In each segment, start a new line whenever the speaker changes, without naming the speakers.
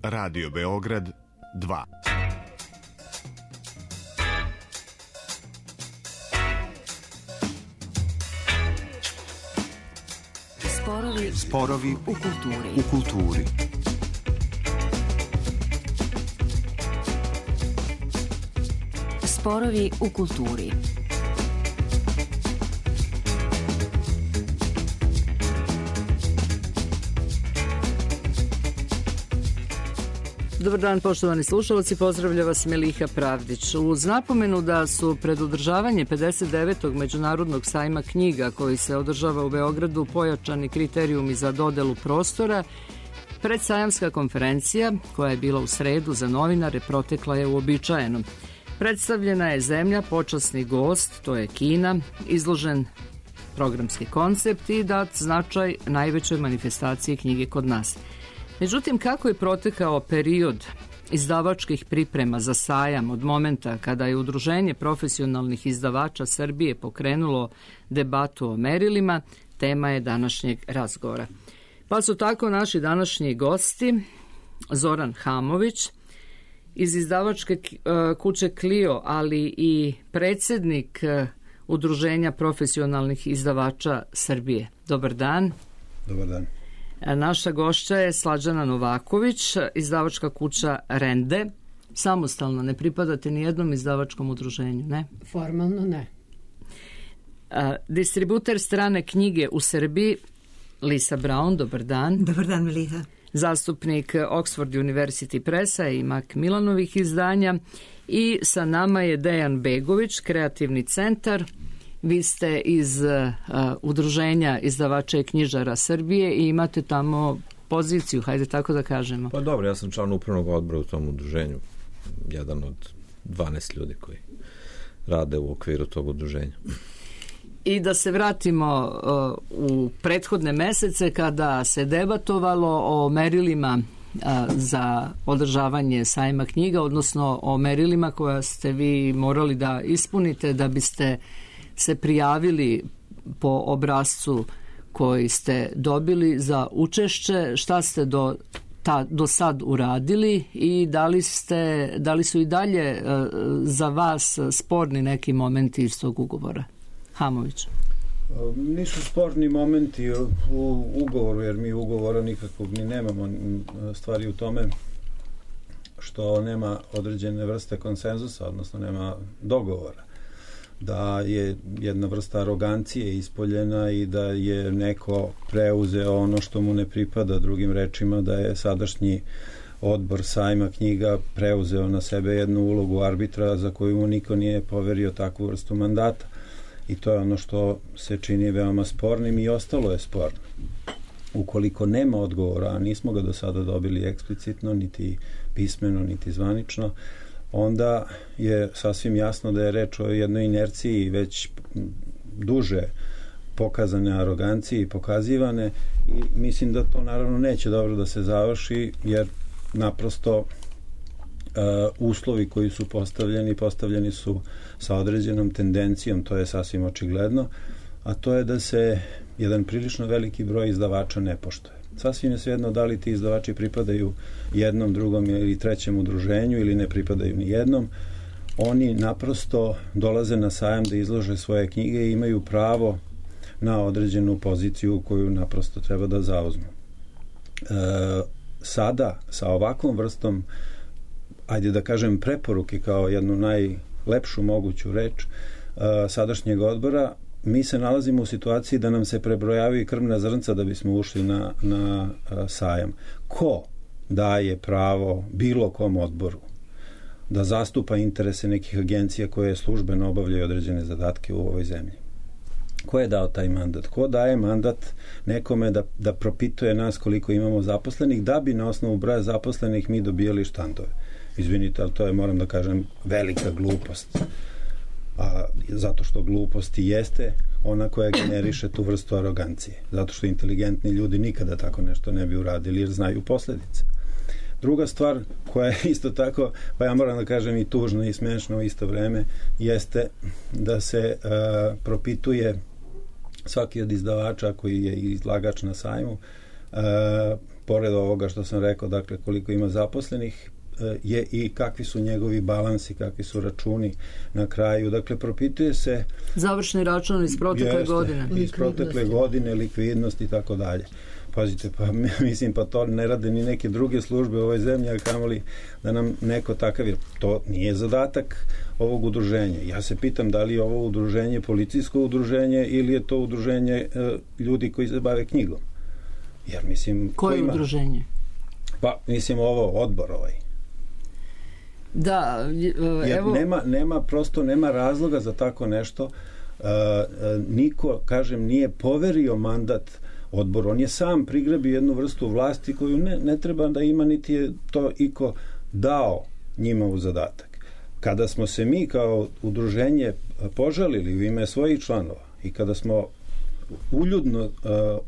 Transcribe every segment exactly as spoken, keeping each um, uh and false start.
Radio Beograd dva.
Sporovi,
Sporovi
u kulturi.
U kulturi.
Sporovi u kulturi.
Dobar dan, poštovani slušalci, pozdravlja vas Meliha Pravdić. Uz napomenu da su pred održavanje pedeset devetog Međunarodnog sajma knjiga koji se održava u Beogradu pojačani kriterijumi za dodelu prostora, predsajamska konferencija koja je bila u sredu za novinare protekla je uobičajeno. Predstavljena je zemlja, počasni gost, to je Kina, izložen programski koncept i dat značaj najvećoj manifestaciji knjige kod nas. Međutim, kako je protekao period izdavačkih priprema za sajam od momenta kada je Udruženje profesionalnih izdavača Srbije pokrenulo debatu o merilima, tema je današnjeg razgovora. Pa su tako naši današnji gosti Zoran Hamović iz izdavačke kuće Clio, ali i predsjednik Udruženja profesionalnih izdavača Srbije. Dobar dan.
Dobar dan.
Naša gošća je Slađana Novaković, izdavačka kuća Rende. Samostalno, ne pripadate ni jednom izdavačkom udruženju, ne?
Formalno ne.
A, distributer strane knjige u Srbiji, Lisa Brown, dobar dan.
Dobar dan, Meliha.
Zastupnik Oxford University Pressa i Macmillanovih izdanja. I sa nama je Dejan Begović, kreativni centar. Vi ste iz uh, Udruženja izdavača i knjižara Srbije i imate tamo poziciju, hajde tako da kažemo.
Pa dobro, ja sam član upravnog odbora u tom udruženju, jedan od dvanaest ljudi koji rade u okviru tog udruženja.
I da se vratimo uh, u prethodne mesece kada se debatovalo o merilima uh, za održavanje sajma knjiga, odnosno o merilima koja ste vi morali da ispunite da biste se prijavili po obrascu koji ste dobili za učešće, šta ste do, ta, do sad uradili i da li, ste, da li su i dalje uh, za vas sporni neki momenti iz tog ugovora? Hamović.
Nisu sporni momenti u ugovoru, jer mi ugovora nikakvog ni nemamo. Stvari u tome što nema određene vrste konsenzusa, odnosno nema dogovora. Da je jedna vrsta arogancije ispoljena i da je neko preuzeo ono što mu ne pripada, drugim rečima da je sadašnji odbor sajma knjiga preuzeo na sebe jednu ulogu arbitra za koju mu niko nije poverio takvu vrstu mandata. I to je ono što se čini veoma spornim i ostalo je sporno. Ukoliko nema odgovora, a nismo ga do sada dobili eksplicitno, niti pismeno, niti zvanično, onda je sasvim jasno da je reč o jednoj inerciji već duže pokazane arogancije i pokazivane i mislim da to naravno neće dobro da se završi, jer naprosto uh, uslovi koji su postavljeni, postavljeni su sa određenom tendencijom, to je sasvim očigledno, a to je da se jedan prilično veliki broj izdavača ne poštuje. Sasvim je svejedno da li ti izdavači pripadaju jednom, drugom ili trećem udruženju ili ne pripadaju ni jednom. Oni naprosto dolaze na sajam da izlože svoje knjige i imaju pravo na određenu poziciju koju naprosto treba da zauzmu. E, sada, sa ovakvom vrstom, ajde da kažem preporuke kao jednu najlepšu moguću reč e, sadašnjeg odbora, mi se nalazimo u situaciji da nam se prebrojavaju krvna zrnca da bismo ušli na, na a, sajam. Ko daje pravo bilo kom odboru da zastupa interese nekih agencija koje službeno obavljaju određene zadatke u ovoj zemlji? Ko je dao taj mandat? Ko daje mandat nekome da, da propituje nas koliko imamo zaposlenih, da bi na osnovu broja zaposlenih mi dobijali štandove? Izvinite, ali to je, moram da kažem, velika glupost. A zato što glupost i jeste ona koja generiše tu vrstu arogancije. Zato što inteligentni ljudi nikada tako nešto ne bi uradili jer znaju posljedice. Druga stvar koja je isto tako, pa ja moram da kažem i tužno i smešno u isto vreme, jeste da se uh, propituje svaki od izdavača koji je izlagač na sajmu uh, pored ovoga što sam rekao, dakle koliko ima zaposlenih, je i kakvi su njegovi balansi, kakvi su računi na kraju. Dakle, propituje se
završni račun iz protekle
jeste,
godine.
Iz protekle godine, likvidnost i tako dalje. Pazite, pa mislim, pa to ne rade ni neke druge službe u ovoj zemlji, a kamoli da nam neko takav, jer to nije zadatak ovog udruženja. Ja se pitam da li je ovo udruženje policijsko udruženje ili je to udruženje e, ljudi koji se bave knjigom. Jer mislim...
Koje
ima,
udruženje?
Pa, mislim, ovo odbor ovaj.
Da, evo...
Jer nema, nema, prosto nema razloga za tako nešto. E, e, niko, kažem, nije poverio mandat odbor. On je sam prigrabio jednu vrstu vlasti koju ne, ne treba da ima, niti je to iko dao njima u zadatak. Kada smo se mi kao udruženje požalili u ime svojih članova i kada smo uljudno uh,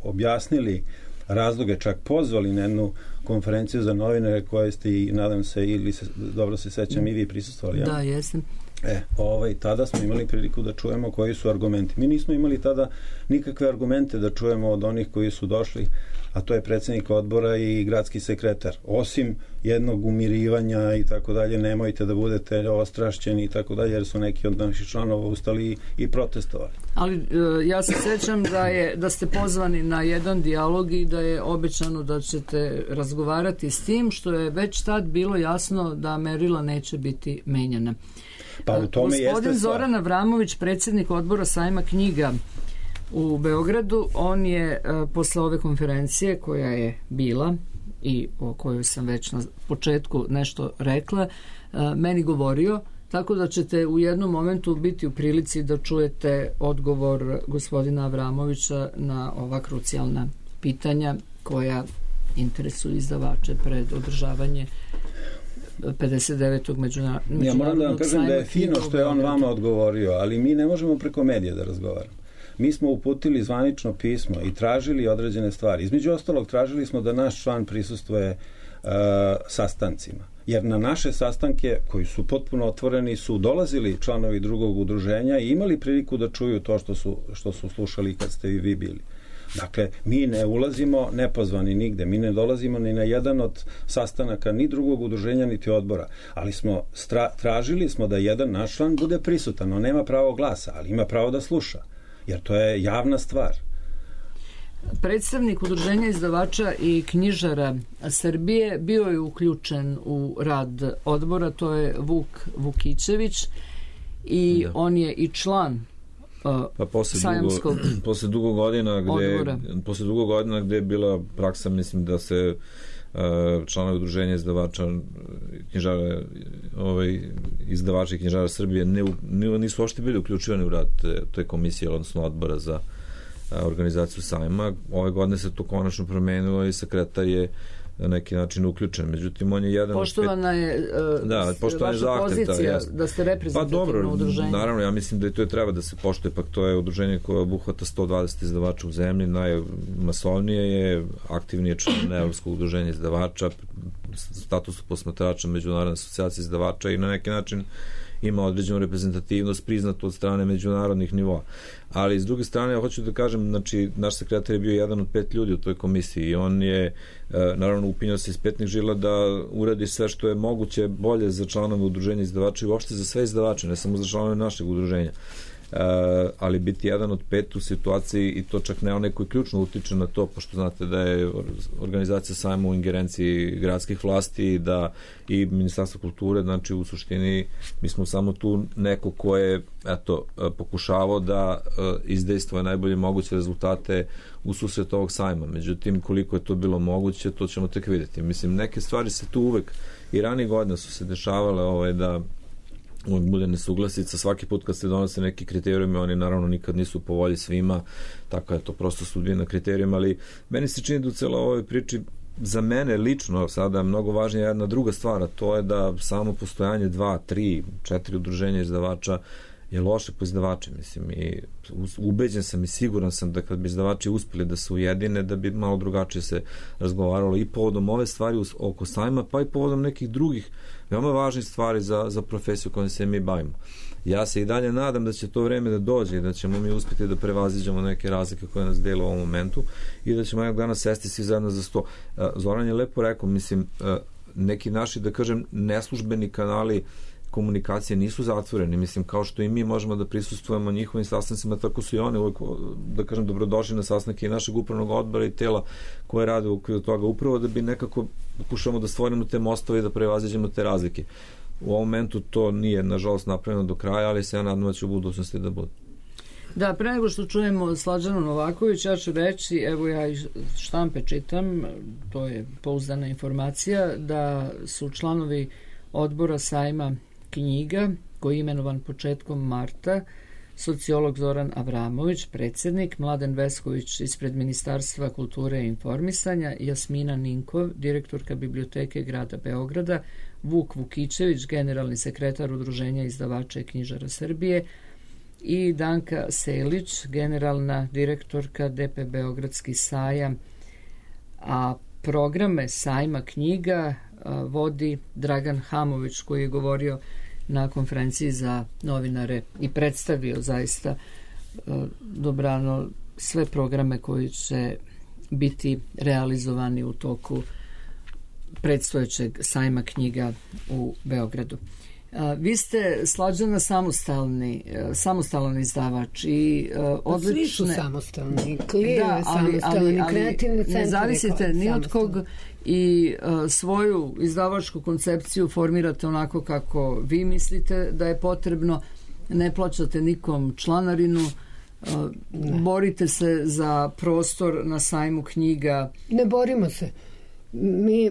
objasnili razloge, čak pozvali na jednu konferenciju za novinare koje ste i, nadam se, ili se, dobro se sećam, i vi prisustvovali. Ja?
Da, jesam.
E, ovaj, tada smo imali priliku da čujemo koji su argumenti. Mi nismo imali tada nikakve argumente da čujemo od onih koji su došli, a to je predsjednik odbora i gradski sekretar. Osim jednog umirivanja i tako dalje, nemojte da budete ostrašćeni i tako dalje, jer su neki od naših članova ustali i protestovali.
Ali ja se sećam da, je, da ste pozvani na jedan dijalog i da je obećano da ćete razgovarati s tim, što je već tad bilo jasno da merila neće biti menjana.
Pa u tome
Gospodin
jeste
Zoran Avramović, predsjednik odbora sajma knjiga u Beogradu, on je uh, posle ove konferencije koja je bila i o kojoj sam već na početku nešto rekla, uh, meni govorio, tako da ćete u jednom momentu biti u prilici da čujete odgovor gospodina Avramovića na ova krucijalna pitanja koja interesuju izdavače pred održavanje pedeset devetog međunarodnog sajma.
Ja moram da vam kažem da je fino što je on vama odgovorio, ali mi ne možemo preko medija da razgovaramo. Mi smo uputili zvanično pismo i tražili određene stvari. Između ostalog, tražili smo da naš član prisustvuje uh, sastancima. Jer na naše sastanke, koji su potpuno otvoreni, su dolazili članovi drugog udruženja i imali priliku da čuju to što su, što su slušali kad ste i vi bili. Dakle, mi ne ulazimo nepozvani nigde, mi ne dolazimo ni na jedan od sastanaka ni drugog udruženja niti odbora, ali smo stra, tražili smo da jedan naš član bude prisutan. On nema pravo glasa, ali ima pravo da sluša, jer to je javna stvar.
Predstavnik udruženja izdavača i knjižara Srbije bio je uključen u rad odbora, to je Vuk Vukićević i da. On je i član
pa posle dugo, posle dugo godina gde posle dugo godina gde je bila praksa, mislim da se uh, članovi udruženja izdavača knjižara ovaj izdavači knjižara Srbije ne, ne nisu uopšte bili uključivani u rad te, te komisije, odnosno odbora za uh, organizaciju sajma. Ove godine se to konačno promenilo i sekretar je na neki način uključen. Međutim, on je jedan...
Poštovana je uh,
da, poštovana je
vaša pozicija
ta,
da ste reprezentativno
pa, dobro,
udruženje.
Naravno, ja mislim da i to je treba da se poštuje, pak to je udruženje koje obuhvata sto dvadeset izdavača u zemlji, najmasovnije je, aktivni je član Evropskog udruženja izdavača, statusu posmatrača Međunarodne asocijacije izdavača i na neki način ima određenu reprezentativnost priznatu od strane međunarodnih nivoa. Ali s druge strane, ja hoću da kažem, znači, naš sekretar je bio jedan od pet ljudi u toj komisiji i on je, e, naravno, upinjao se iz petnih žila da uradi sve što je moguće bolje za članove udruženja izdavača i uopšte za sve izdavače, ne samo za članove našeg udruženja. Uh, ali biti jedan od pet u situaciji i to čak ne onaj koji ključno utiče na to, pošto znate da je organizacija sajma u ingerenciji gradskih vlasti, da i Ministarstvo kulture, znači u suštini mi smo samo tu neko ko je eto, pokušavao da uh, izdejstvuje najbolje moguće rezultate u susret ovog sajma. Međutim, koliko je to bilo moguće, to ćemo tek vidjeti. Mislim, neke stvari se tu uvek i ranije godina su se dešavale ovaj, da uvijek bude nesuglasica, svaki put kad se donose neki kriterijumi, oni naravno nikad nisu po volji svima, tako je to prosto sudbina kriterijuma, ali meni se čini da u celoj ovoj priči za mene lično sada mnogo važnija jedna druga stvar, a to je da samo postojanje dva, tri, četiri udruženja izdavača je loše po izdavače, mislim, i ubeđen sam i siguran sam da kad bi izdavači uspeli da se ujedine, da bi malo drugačije se razgovaralo i povodom ove stvari oko sajma, pa i povodom nekih drugih veoma važnih stvari za, za profesiju kojom se mi bavimo. Ja se i dalje nadam da će to vreme da dođe i da ćemo mi uspjeti da prevaziđemo neke razlike koje nas dele u ovom momentu i da ćemo jednog dana sesti svi zajedno za sto. Zoran je lepo rekao, mislim, neki naši, da kažem, neslužbeni kanali komunikacije nisu zatvoreni, mislim, kao što i mi možemo da prisustvujemo njihovim sastancima, tako su i one uvijek, da kažem, dobrodošli na sastanke i našeg upravnog odbora i tela koje rade u okviru toga, upravo da bi nekako pokušamo da stvorimo te mostove i da prevaziđemo te razlike. U ovom momentu to nije, nažalost, napravljeno do kraja, ali se ja nadam da će u budućnosti da bude.
Da, pre nego što čujemo Slađanu Novaković, ja ću reći, evo ja iz štampe čitam, to je pouzdana informacija, da su članovi odbora sajma knjiga, koji je imenovan početkom marta, sociolog Zoran Avramović, predsjednik, Mladen Vesković ispred Ministarstva kulture i informisanja, Jasmina Ninkov, direktorka Biblioteke grada Beograda, Vuk Vukićević, generalni sekretar Udruženja izdavača i knjižara Srbije i Danka Selić, generalna direktorka D P Beogradski sajam, a programe sajma knjiga a, vodi Dragan Hamović, koji je govorio na konferenciji za novinare i predstavio zaista a, dobrano sve programe koji će biti realizovani u toku predstojećeg sajma knjiga u Beogradu. A, vi ste, Slađana, samostalni, samostalan izdavač i a, odlične...
Svi su samostalni, Klije
da,
je samostalni,
ali,
kreativni centar.
Ne zavisite ni od kog i a, svoju izdavačku koncepciju formirate onako kako vi mislite da je potrebno, ne plaćate nikom članarinu, a, borite se za prostor na sajmu knjiga.
Ne borimo se. Mi,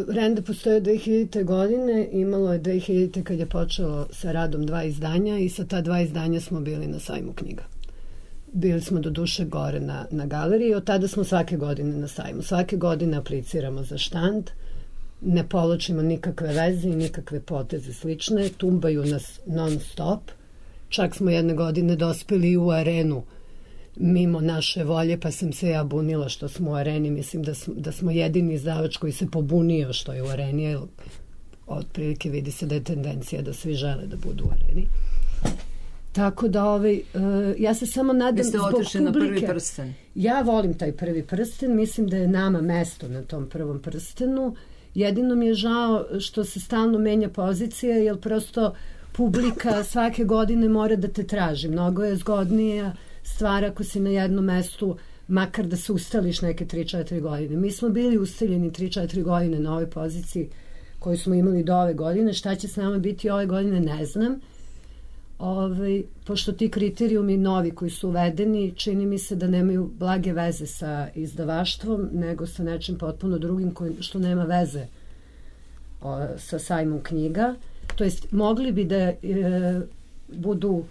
Renda postoje dve hiljadite. godine, imalo je dve hiljadite. kad je počelo sa radom dva izdanja i sa ta dva izdanja smo bili na sajmu knjiga. Bili smo do duše gore na, na galeriji i od tada smo svake godine na sajmu. Svake godine apliciramo za štand, ne poločimo nikakve veze i nikakve poteze slične, tumbaju nas non stop. Čak smo jedne godine dospeli u arenu mimo naše volje, pa sam se ja bunila što smo u areni. Mislim da smo, da smo jedini izdavač koji se pobunio što je u areni, jer otprilike vidi se da je tendencija da svi žele da budu u areni. Tako da ovaj, uh, ja se samo nadam zbog publike. Vi ste otišli na prvi prsten. Ja volim taj prvi prsten, mislim da je nama mesto na tom prvom prstenu. Jedino mi je žao što se stalno menja pozicija, jer prosto publika svake godine mora da te traži. Mnogo je zgodnija stvar ako si na jednom mestu, makar da se ustališ neke tri četiri godine. Mi smo bili ustaljeni tri četiri godine na ovoj poziciji koju smo imali do ove godine. Šta će s nama biti ove godine, ne znam. Ove, pošto ti kriterijumi novi koji su uvedeni, čini mi se da nemaju blage veze sa izdavaštvom, nego sa nečim potpuno drugim koji, što nema veze o, sa sajmom knjiga. To jest, mogli bi da e, budu,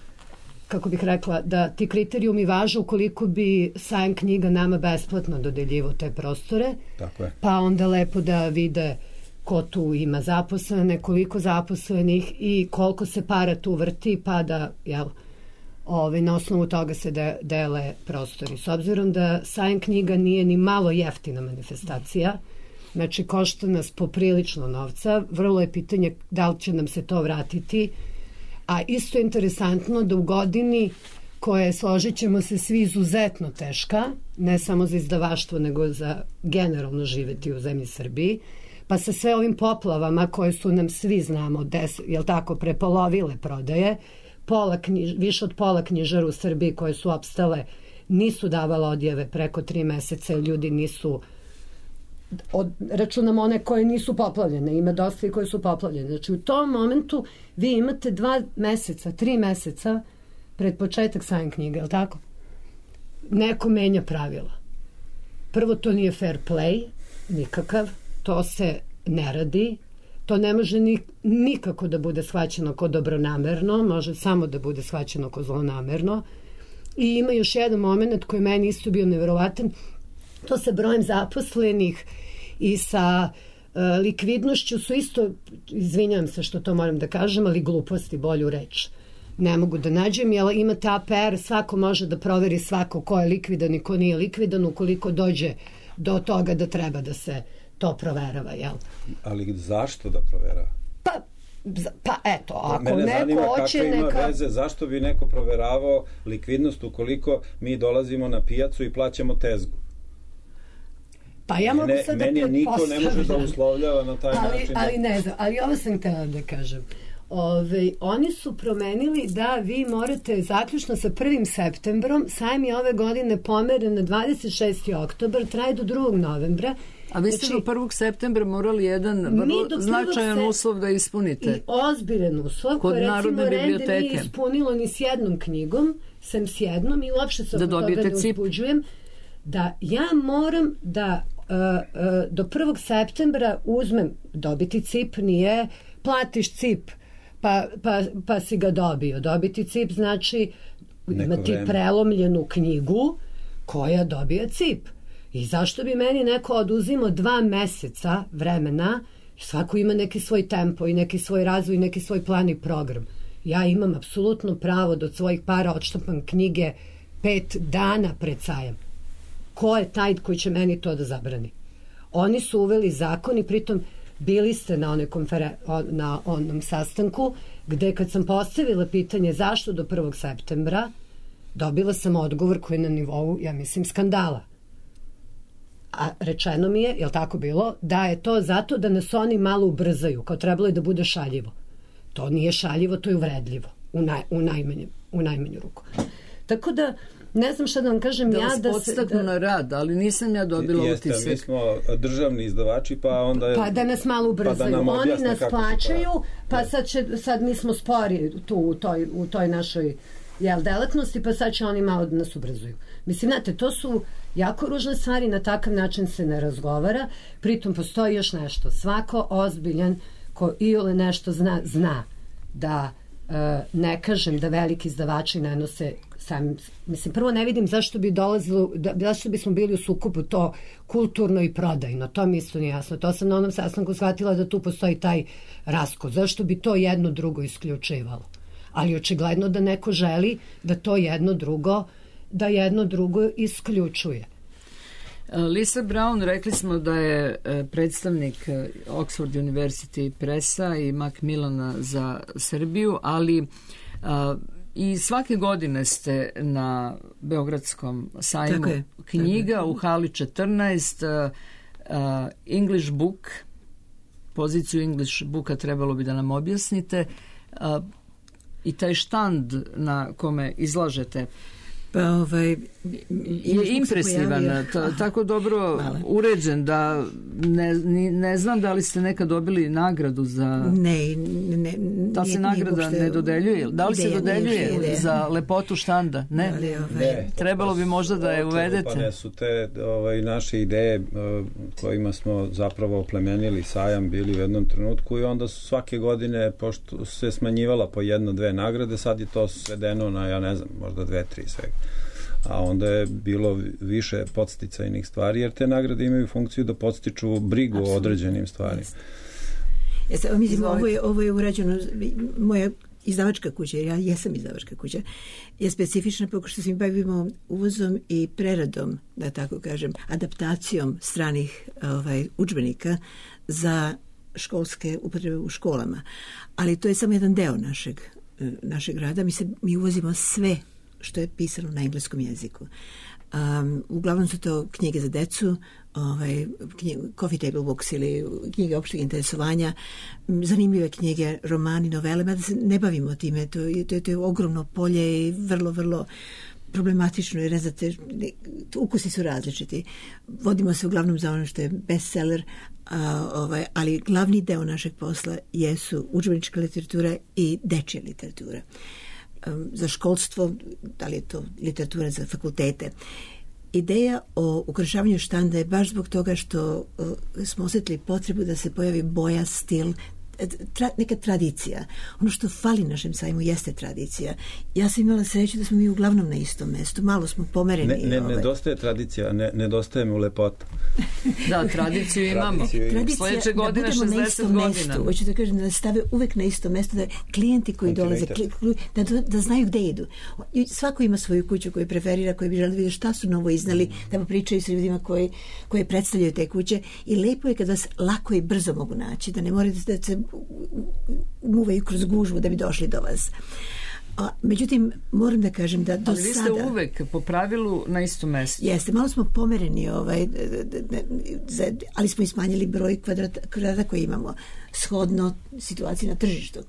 kako bih rekla, da ti kriterijumi važe ukoliko bi sajam knjiga nama besplatno dodeljivo te prostore. Tako je. Pa onda lepo da vide ko tu ima zaposlene, koliko zaposlenih i koliko se para tu vrti, pa da, jel, ovaj, na osnovu toga se de, dele prostori. S obzirom da sajam knjiga nije ni malo jeftina manifestacija, znači košta nas poprilično novca, vrlo je pitanje da li će nam se to vratiti, a isto je interesantno da u godini koja je, složit ćemo se svi, izuzetno teška, ne samo za izdavaštvo, nego za generalno živeti u zemlji Srbiji, pa sa sve ovim poplavama koje su nam, svi znamo, des, jel tako, prepolovile prodaje, pola knjiž, više od pola knjižara u Srbiji koje su opstale nisu davala odjave preko tri meseca, ljudi nisu, od, računamo one koje nisu poplavljene, ima dosta i koje su poplavljene. Znači u tom momentu vi imate dva meseca, tri meseca pred početak sajam knjiga, jel tako? Neko menja pravila. Prvo, to nije fair play, nikakav, to se ne radi, to ne može ni, nikako da bude shvaćeno kao dobronamerno, može samo da bude shvaćeno kao zlonamerno. I ima još jedan moment koji meni isto bio neverovatan, to sa brojem zaposlenih i sa uh, likvidnošću su isto, izvinjam se što to moram da kažem, ali gluposti, bolju reč. ne mogu da nađem, jer imate A P R, svako može da proveri svako ko je likvidan i ko nije likvidan ukoliko dođe do toga da treba da se to proverava, jel?
Ali zašto da proverava?
Pa, pa eto, ako
Mene
neko
zanima
hoće
kakve ima
neka...
veze, zašto bi neko proveravao likvidnost ukoliko mi dolazimo na pijacu i plaćamo tezgu?
Pa ja mogu
Mene,
sad da
meni niko ne može da
pretpostavljam.
uslovljava na taj
ali,
način.
Ali ne znam, ali ovo sam htjela da kažem. Ove, oni su promenili da vi morate zaključno sa prvim septembrom, sajam je ove godine pomeren na dvadeset šesti oktobar, traje do drugog novembra.
A vi ste
znači,
do prvog septembra morali jedan vrlo značajan se... uslov da ispunite.
I ozbiljan uslov,
kod
koji recimo Rende nije ispunilo ni s jednom knjigom, sem s jednom, i uopšte se
da
oko toga ne uzbuđujem, da ja moram da uh, uh, do prvog septembra uzmem, dobiti C I P nije, platiš C I P, pa, pa, pa si ga dobio. Dobiti C I P znači
neko
imati
vreme.
prelomljenu knjigu koja dobija C I P. I zašto bi meni neko oduzimo dva meseca vremena, svako ima neki svoj tempo i neki svoj razvoj i neki svoj plan i program. Ja imam apsolutno pravo da od svojih para odštampam knjige pet dana pred sajam. Ko je taj koji će meni to da zabrani? Oni su uveli zakon i pritom bili ste na, one konferen... na onom sastanku gde kad sam postavila pitanje zašto do prvog septembra, dobila sam odgovor koji je na nivou, ja mislim, skandala. A rečeno mi je, je li tako bilo, da je to zato da nas oni malo ubrzaju, kao trebalo je da bude šaljivo. To nije šaljivo, to je uvredljivo, u, naj, u, najmanju, u najmanju ruku. Tako da, ne znam šta da vam kažem,
da
ja
vas
da se...
podstaknu da... na rad, ali nisam ja dobila
Jeste,
utisak.
mi smo državni izdavači, pa onda... Je,
pa da nas malo ubrzaju. Pa nam oni nas plaćaju, pa sad, će, sad mi smo spori tu u toj, u toj našoj jel, delatnosti, pa sad će oni malo da nas ubrzuju. Mislim, znate, to su jako ružne stvari, na takav način se ne razgovara, pritom postoji još nešto. Svako ozbiljan ko iole nešto zna, zna da e, ne kažem da veliki izdavači ne nose sami, mislim, prvo ne vidim zašto bi dolazilo, da, zašto bismo bili u sukobu to kulturno i prodajno, to mi isto nije jasno. To sam na onom sastanku shvatila da tu postoji taj raskol. Zašto bi to jedno drugo isključivalo? Ali očigledno da neko želi da to jedno drugo da jedno drugo isključuje.
Lisa Brown, rekli smo da je predstavnik Oxford University Pressa i Macmillana za Srbiju, ali a, i svake godine ste na Beogradskom sajmu je, knjiga u hali četrnaest, a, a, English Book, poziciju English Booka trebalo bi da nam objasnite, a, i taj štand na kome izlažete
pa ovaj
je impresivan, ta, tako dobro Hvala. uređen da ne, ne znam da li ste nekad dobili nagradu za
ne, ne
da se nagrada ne dodeljuje, da li ideja, se dodeljuje nije, za lepotu štanda, ne,
ne, ne
trebalo bi možda da je uvedete.
Pa ne su te ovaj, naše ideje kojima smo zapravo oplemenili sajam bili u jednom trenutku i onda su svake godine, pošto se smanjivala po jedno, dve nagrade, sad je to svedeno na, ja ne znam, možda dve, tri svega. A onda je bilo više podsticajnih stvari, jer te nagrade imaju funkciju da podstiču brigu Absolutno. o određenim stvarima.
Jeste, mislim, ovo je, ovo je urađeno, moja izdavačka kuća, ja jesam izdavačka kuća, je specifična pošto se mi bavimo uvozom i preradom, da tako kažem, adaptacijom stranih ovaj, udžbenika za školske upotrebe u školama. Ali to je samo jedan deo našeg, našeg rada. Mi, se, mi uvozimo sve što je pisano na engleskom jeziku. Um, uglavnom su to knjige za decu, ovaj, knjige, coffee table books ili knjige opšteg interesovanja, zanimljive knjige, romani, novele, mada se ne bavimo time, to, to, to je ogromno polje i vrlo, vrlo problematično, jer ne znate, ukusi su različiti. Vodimo se uglavnom za ono što je bestseller, a, ovaj, ali glavni deo našeg posla jesu udžbenička literatura i dečja literatura. Za školstvo, da li je to literatura za fakultete. Ideja o ukrašavanju štanda je baš zbog toga što uh, smo osjetili potrebu da se pojavi boja, stil, tra, neka tradicija. Ono što fali našem sajmu jeste tradicija. Ja sam imala sreću da smo mi uglavnom na istom mestu. Malo smo pomereni.
Ne, ne,
ovaj.
Nedostaje tradicija, ne, nedostaje mu lepota.
Da, tradiciju imamo. Sledeće godine
da
šezdeset godina.
Mestu, hoću da kažem da nas stave uvek na isto mesto, da klijenti koji dolaze, da, da znaju gde idu. Svako ima svoju kuću koju preferira, koji bi želi da vidi šta su novo iznali, da popričaju sa ljudima koji, koji predstavljaju te kuće i lepo je kad vas lako i brzo mogu naći, da ne morate da se muvaju kroz gužvu da bi došli do vas. A, međutim, moram da kažem da do
ali vi ste
sada...
uvek po pravilu na istom mestu.
Jeste, malo smo pomereni, ovaj, ali smo i smanjili broj kvadrata, kvadrata koji imamo shodno situaciji na tržištu.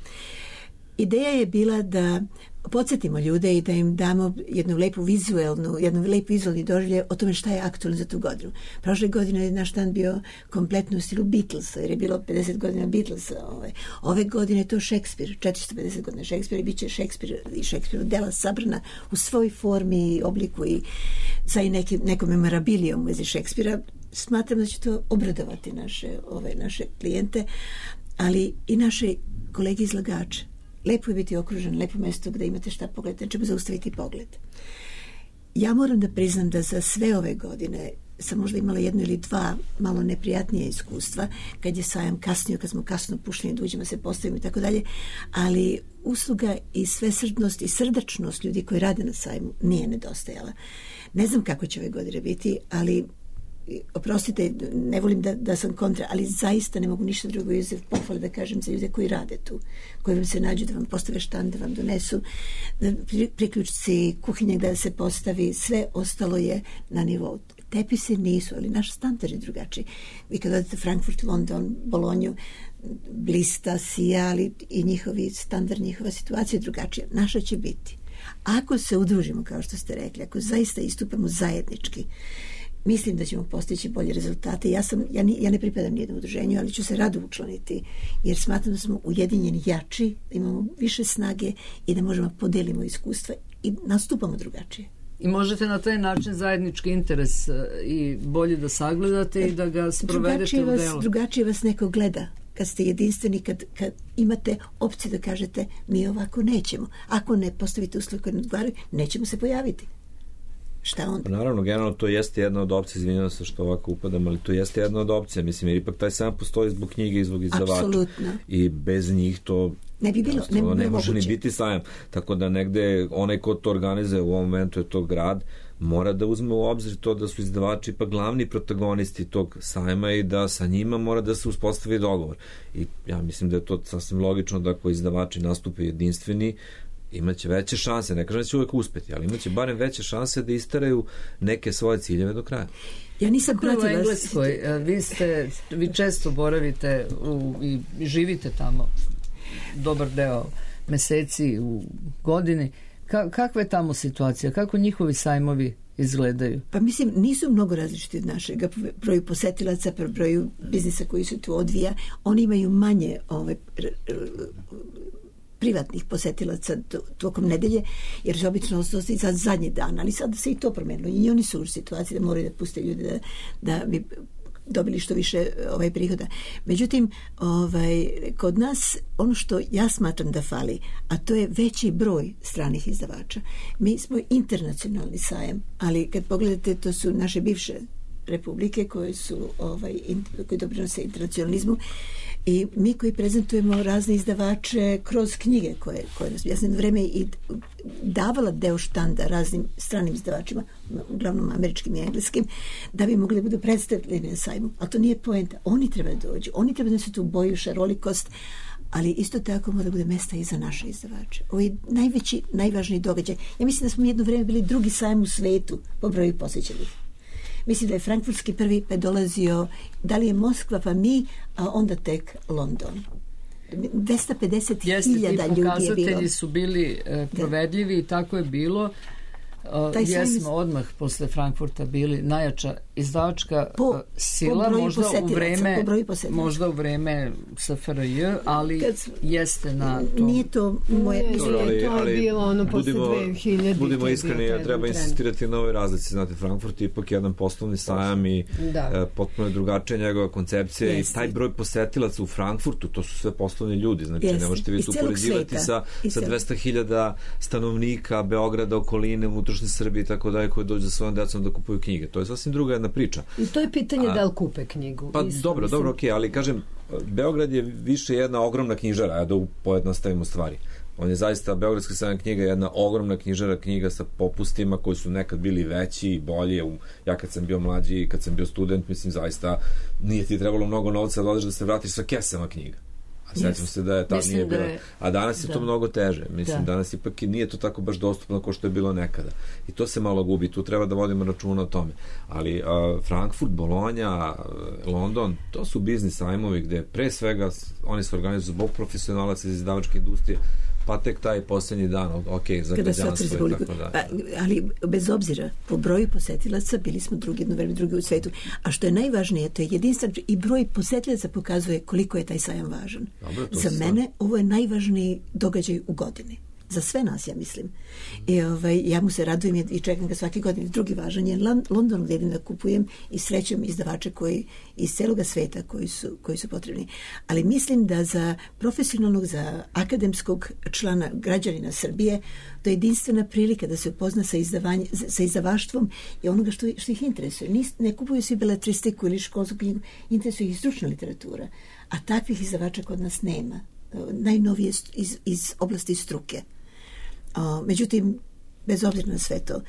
Ideja je bila da podsjetimo ljude i da im damo jednu lepu vizualnu, jednu lepu vizualni doživljaj o tome šta je aktualno za tu godinu. Prošle godine je naš dan bio kompletno u stilu Beatlesa, jer je bilo pedeset godina Beatlesa. Ove, ove godine je to Šekspir, četiristo pedeset godina Šekspira i bit će Šekspir i Šekspirov dela sabrana u svoj formi i obliku i sa i nekim, nekom memorabilijom u vezi Šekspira. Smatram da će to obradovati naše, ove, naše klijente, ali i naše kolege izlagače. Lepo je biti okružen, lepo mesto gde imate šta pogledati, nećemo zaustaviti pogled. Ja moram da priznam da za sve ove godine sam možda imala jedno ili dva malo neprijatnije iskustva, kad je sajam kasnio, kad smo kasno pušteni da uđemo, se postavimo i tako dalje, ali usluga i svesrdnost i srdačnost ljudi koji rade na sajmu nije nedostajala. Ne znam kako će ove godine biti, ali oprostite, ne volim da, da sam kontra, ali zaista ne mogu ništa drugo iz pohvale da kažem za ljude koji rade tu, koji vam se nađu da vam postave štand, da vam donesu priključci, kuhinje da se postavi, sve ostalo je na nivou. Tepisi nisu, ali naš standard je drugačiji. Vi kad odete Frankfurt, London, Bolonju, blista, sija, ali i njihovi standard, njihova situacija je drugačija. Naša će biti. Ako se udružimo, kao što ste rekli, ako zaista istupamo zajednički, mislim da ćemo postići bolje rezultate. Ja, sam, ja, ni, ja ne pripadam nijednom udruženju, ali ću se rado učlaniti, jer smatram da smo ujedinjeni jači, da imamo više snage i da možemo podelimo iskustva i nastupamo drugačije.
I možete na taj način zajednički interes i bolje da sagledate i da ga sprovedete u delu.
Drugačije vas neko gleda kad ste jedinstveni, kad, kad imate opciju da kažete mi ovako nećemo. Ako ne postavite uslove koje ne odgovaraju, nećemo se pojaviti. Šta onda?
Naravno, generalno to jeste jedna od opcija, izvinjavam se što ovako upadam, ali to jeste jedna od opcija, mislim, jer ipak taj sam postoji zbog knjige i zbog izdavača.
Apsolutno.
I bez njih to
ne bi bilo, ne, bi
ne može ni biti sajam. Tako da negde onaj ko to organizuje u ovom momentu je to grad, mora da uzme u obzir to da su izdavači pa glavni protagonisti tog sajma i da sa njima mora da se uspostavi dogovor. I ja mislim da je to sasvim logično da ako izdavači nastupe jedinstveni, imaće veće šanse, ne kažem da će uvek uspeti, ali imaće barem veće šanse da istaraju neke svoje ciljeve do kraja.
Ja nisam pratila...
U Engleskoj, vi, ste, vi često boravite u, i živite tamo dobar deo meseci u godini. Ka, kakva je tamo situacija? Kako njihovi sajmovi izgledaju?
Pa mislim, nisu mnogo različiti od našega broju posetilaca, po broju biznisa koji se tu odvija. Oni imaju manje ovaj, privatnih posetilaca tokom nedelje, jer se obično ostaje za zadnji dan, ali sad se i to promenilo i oni su u situaciji da moraju da puste ljude da, da bi dobili što više ovaj prihoda. Međutim, ovaj, kod nas ono što ja smatram da fali, a to je veći broj stranih izdavača. Mi smo internacionalni sajam, ali kad pogledate, to su naše bivše republike koje su ovaj, in, koji doprinose internacionalizmu i mi koji prezentujemo razne izdavače kroz knjige koje, koje nas ja sam jedno vreme i davala deo štanda raznim stranim izdavačima, uglavnom američkim i engleskim, da bi mogli da budu predstavljeni na sajmu. Ali to nije poenta. Oni treba da dođu. Oni treba da se tu boju šarolikost, ali isto tako mora da bude mesta i za naše izdavače. Ovo je najveći, najvažniji događaj. Ja mislim da smo jedno vreme bili drugi sajam u svetu po broju posjećenih. Mislim da je frankfurtski prvi pa dolazio, da li je Moskva pa mi, a onda tek London. dvesta pedeset hiljada ljudi je bilo.
Jeste, ti pokazatelji su bili e, provedljivi i tako je bilo.
Taj
jesmo
sajam...
odmah posle Frankfurta bili najjača izdavačka
po,
sila,
po
možda u vreme možda u vreme S F R J, ali Kad, jeste na to.
Nije to moje
ne,
to,
ali, to je bilo ono posle dve hiljade.
Budimo iskreni, treba insistirati na ovoj razlici. Znate, Frankfurt je ipak jedan poslovni sajam i da. potpuno je drugačija njegova koncepcija. Jeste. I taj broj posetilaca u Frankfurtu, to su sve poslovni ljudi. Znači, Jeste. ne možete vi tu poređivati sa, sa dvesta hiljada stanovnika Beograda, okoline, unutrašnje Srbije i tako dalje, koji dođu za svojom decom da kupuju knjige. To je sasvim druga jedna priča.
I to je pitanje A, da li kupe knjigu.
Pa
Isto,
dobro,
mislim.
dobro, okej, okay, ali kažem, Beograd je više jedna ogromna knjižara, ja da pojednostavimo stvari. On je zaista, Beogradski sajam knjiga, jedna ogromna knjižara, knjiga sa popustima koji su nekad bili veći i bolje. Ja kad sam bio mlađi i kad sam bio student, mislim, zaista nije ti trebalo mnogo novca da odeš da se vratiš sa kesama knjiga. A sjećam se da je tad nije bilo. Je, a danas je da. to mnogo teže. Mislim, da. danas ipak nije to tako baš dostupno kao što je bilo nekada. I to se malo gubi. Tu treba da vodimo računa o tome. Ali uh, Frankfurt, Bolonja, London, to su biznis sajmovi gde pre svega oni se organizuju zbog profesionalaca iz izdavačke industrije, pa tek taj posljednji dan, ok, za građanstvo i tako da.
Pa, ali bez obzira, po broju posetilaca bili smo drugi jedno vreme, drugi u svetu. A što je najvažnije, to je jedinstven i broj posetilaca pokazuje koliko je taj sajam važan.
Dobro,
za mene stvar. Ovo je najvažniji događaj u godini. Za sve nas, ja mislim. I ovaj, ja mu se radujem i čekam ga svake godine. Drugi važan je London, gdje idem da kupujem i srećem izdavače koji iz celoga sveta koji su, koji su potrebni. Ali mislim da za profesionalnog, za akademskog člana građanina Srbije, to je jedinstvena prilika da se upozna sa, sa izdavaštvom i onoga što, što ih interesuje. Nis, ne kupuju svi beletristiku ili školsku knjigu, interesuje ih stručna literatura. A takvih izdavača kod nas nema. Najnovije iz, iz oblasti struke. O, međutim, bez obzira na sve to,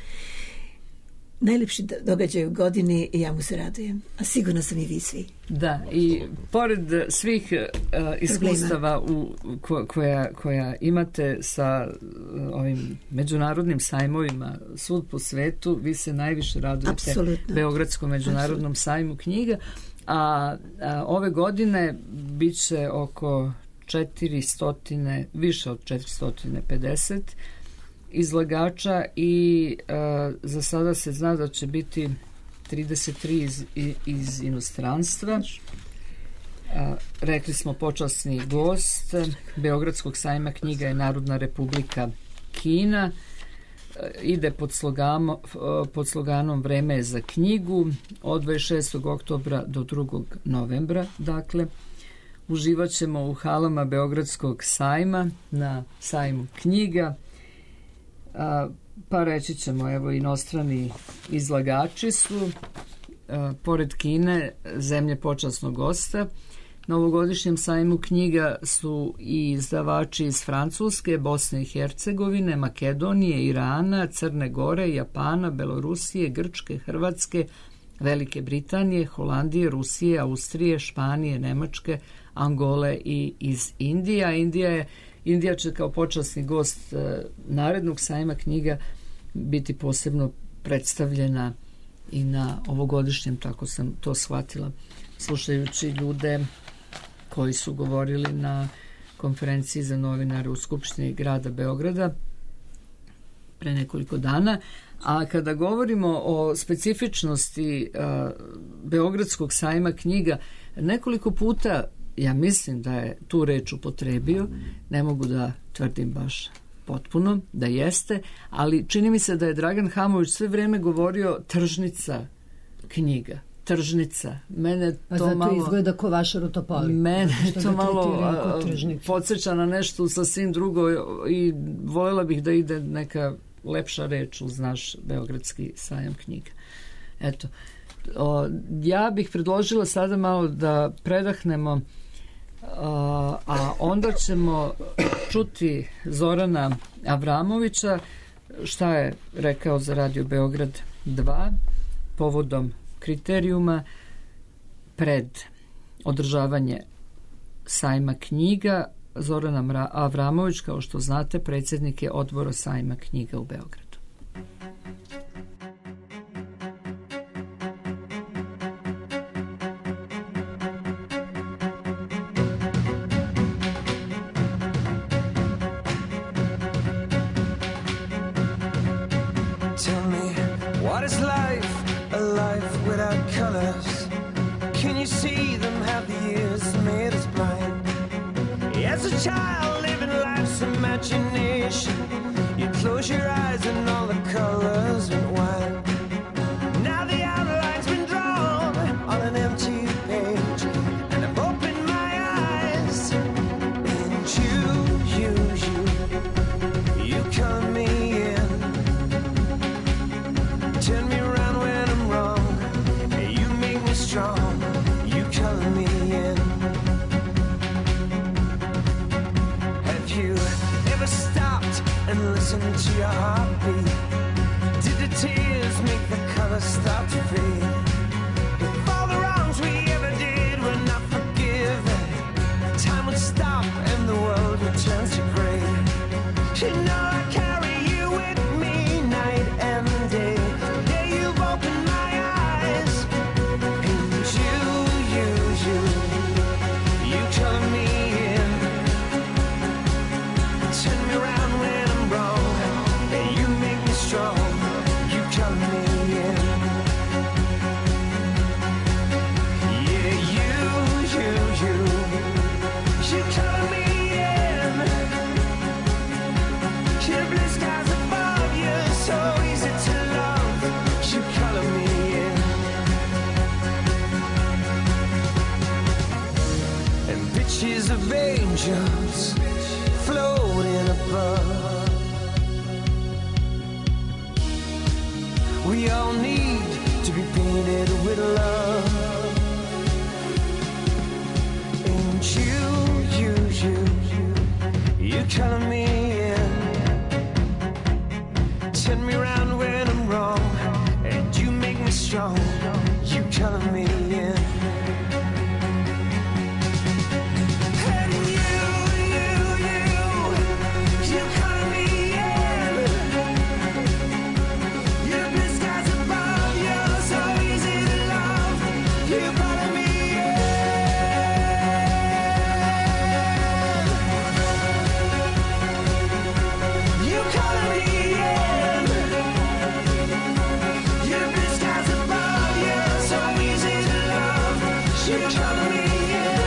najlepši događaj u godini i ja mu se radujem. A sigurno sam i vi svi.
Da, i pored svih uh, iskustava u, ko, koja, koja imate sa uh, ovim međunarodnim sajmovima svud po svetu, vi se najviše radujete
Apsolutno.
Beogradskom međunarodnom Apsolutno. sajmu knjiga, a, a ove godine bit će oko četiristo, više od četiristo pedeset izlagača i uh, za sada se zna da će biti trideset tri iz, iz inostranstva. Uh, rekli smo počasni gost Beogradskog sajma knjiga je Narodna Republika Kina. Uh, ide pod, slogamo, uh, pod sloganom Vreme je za knjigu od dvadeset šestog oktobra do drugog novembra. Dakle, uživat ćemo u halama Beogradskog sajma na sajmu knjiga. A, pa reći ćemo, evo, inostrani izlagači su a, pored Kine zemlje počasnog gosta. Na ovogodišnjem sajmu knjiga su i izdavači iz Francuske, Bosne i Hercegovine, Makedonije, Irana, Crne Gore, Japana, Belorusije, Grčke, Hrvatske, Velike Britanije, Holandije, Rusije, Austrije, Španije, Nemačke, Angole i iz Indija. Indija je Indija će kao počasni gost e, narednog sajma knjiga biti posebno predstavljena i na ovogodišnjem, tako sam to shvatila, slušajući ljude koji su govorili na konferenciji za novinare u Skupštini grada Beograda pre nekoliko dana. A kada govorimo o specifičnosti a, Beogradskog sajma knjiga, nekoliko puta ja mislim da je tu reč upotrebio, ne mogu da tvrdim baš potpuno da jeste, ali čini mi se da je Dragan Hamović sve vreme govorio tržnica knjiga. Tržnica. Mene to
A zato
malo
izgleda ko vaša Rutopoli.
Mene to malo podsjeća na nešto sasvim drugo i voljela bih da ide neka lepša reč uz naš Beogradski sajam knjiga. Eto. O, ja bih predložila sada malo da predahnemo, a, a onda ćemo čuti Zorana Avramovića šta je rekao za Radio Beograd dva povodom kriterijuma pred održavanje sajma knjiga. Zoran Avramović, kao što znate, predsjednik je odbora sajma knjiga u Beogradu.
Take As a child living life's imagination, you close your eyes and all the colors went wild. Now the outline's been drawn on an empty page, and I've opened my eyes, and you, you, you, you color me in. Turn me around when I'm wrong, and you make me strong. You color me in. Have you ever stopped and listened to your heartbeat? Did the tears make the colors start to fade? If all the wrongs we ever did were not forgiven, time would stop and the world would turn to gray. You know I carry you with me night and day. Yeah, you've opened my eyes, and you, you, you, you color me in. Turn me around when I'm wrong, and you make me strong. You color me in. Yeah, you, you, you, you color me in. Yeah, blue skies above you, so easy to love. You color me in. And pictures of angels floating above. We all need to be painted with love. And you, you, you, you color me in. Turn me around when I'm wrong, and you make me strong. You color me in. And you, you, you, you color me in. Your blue skies above you, so easy to love. You color me in. You color me in. Your blue skies above you, so easy to love. You color me in.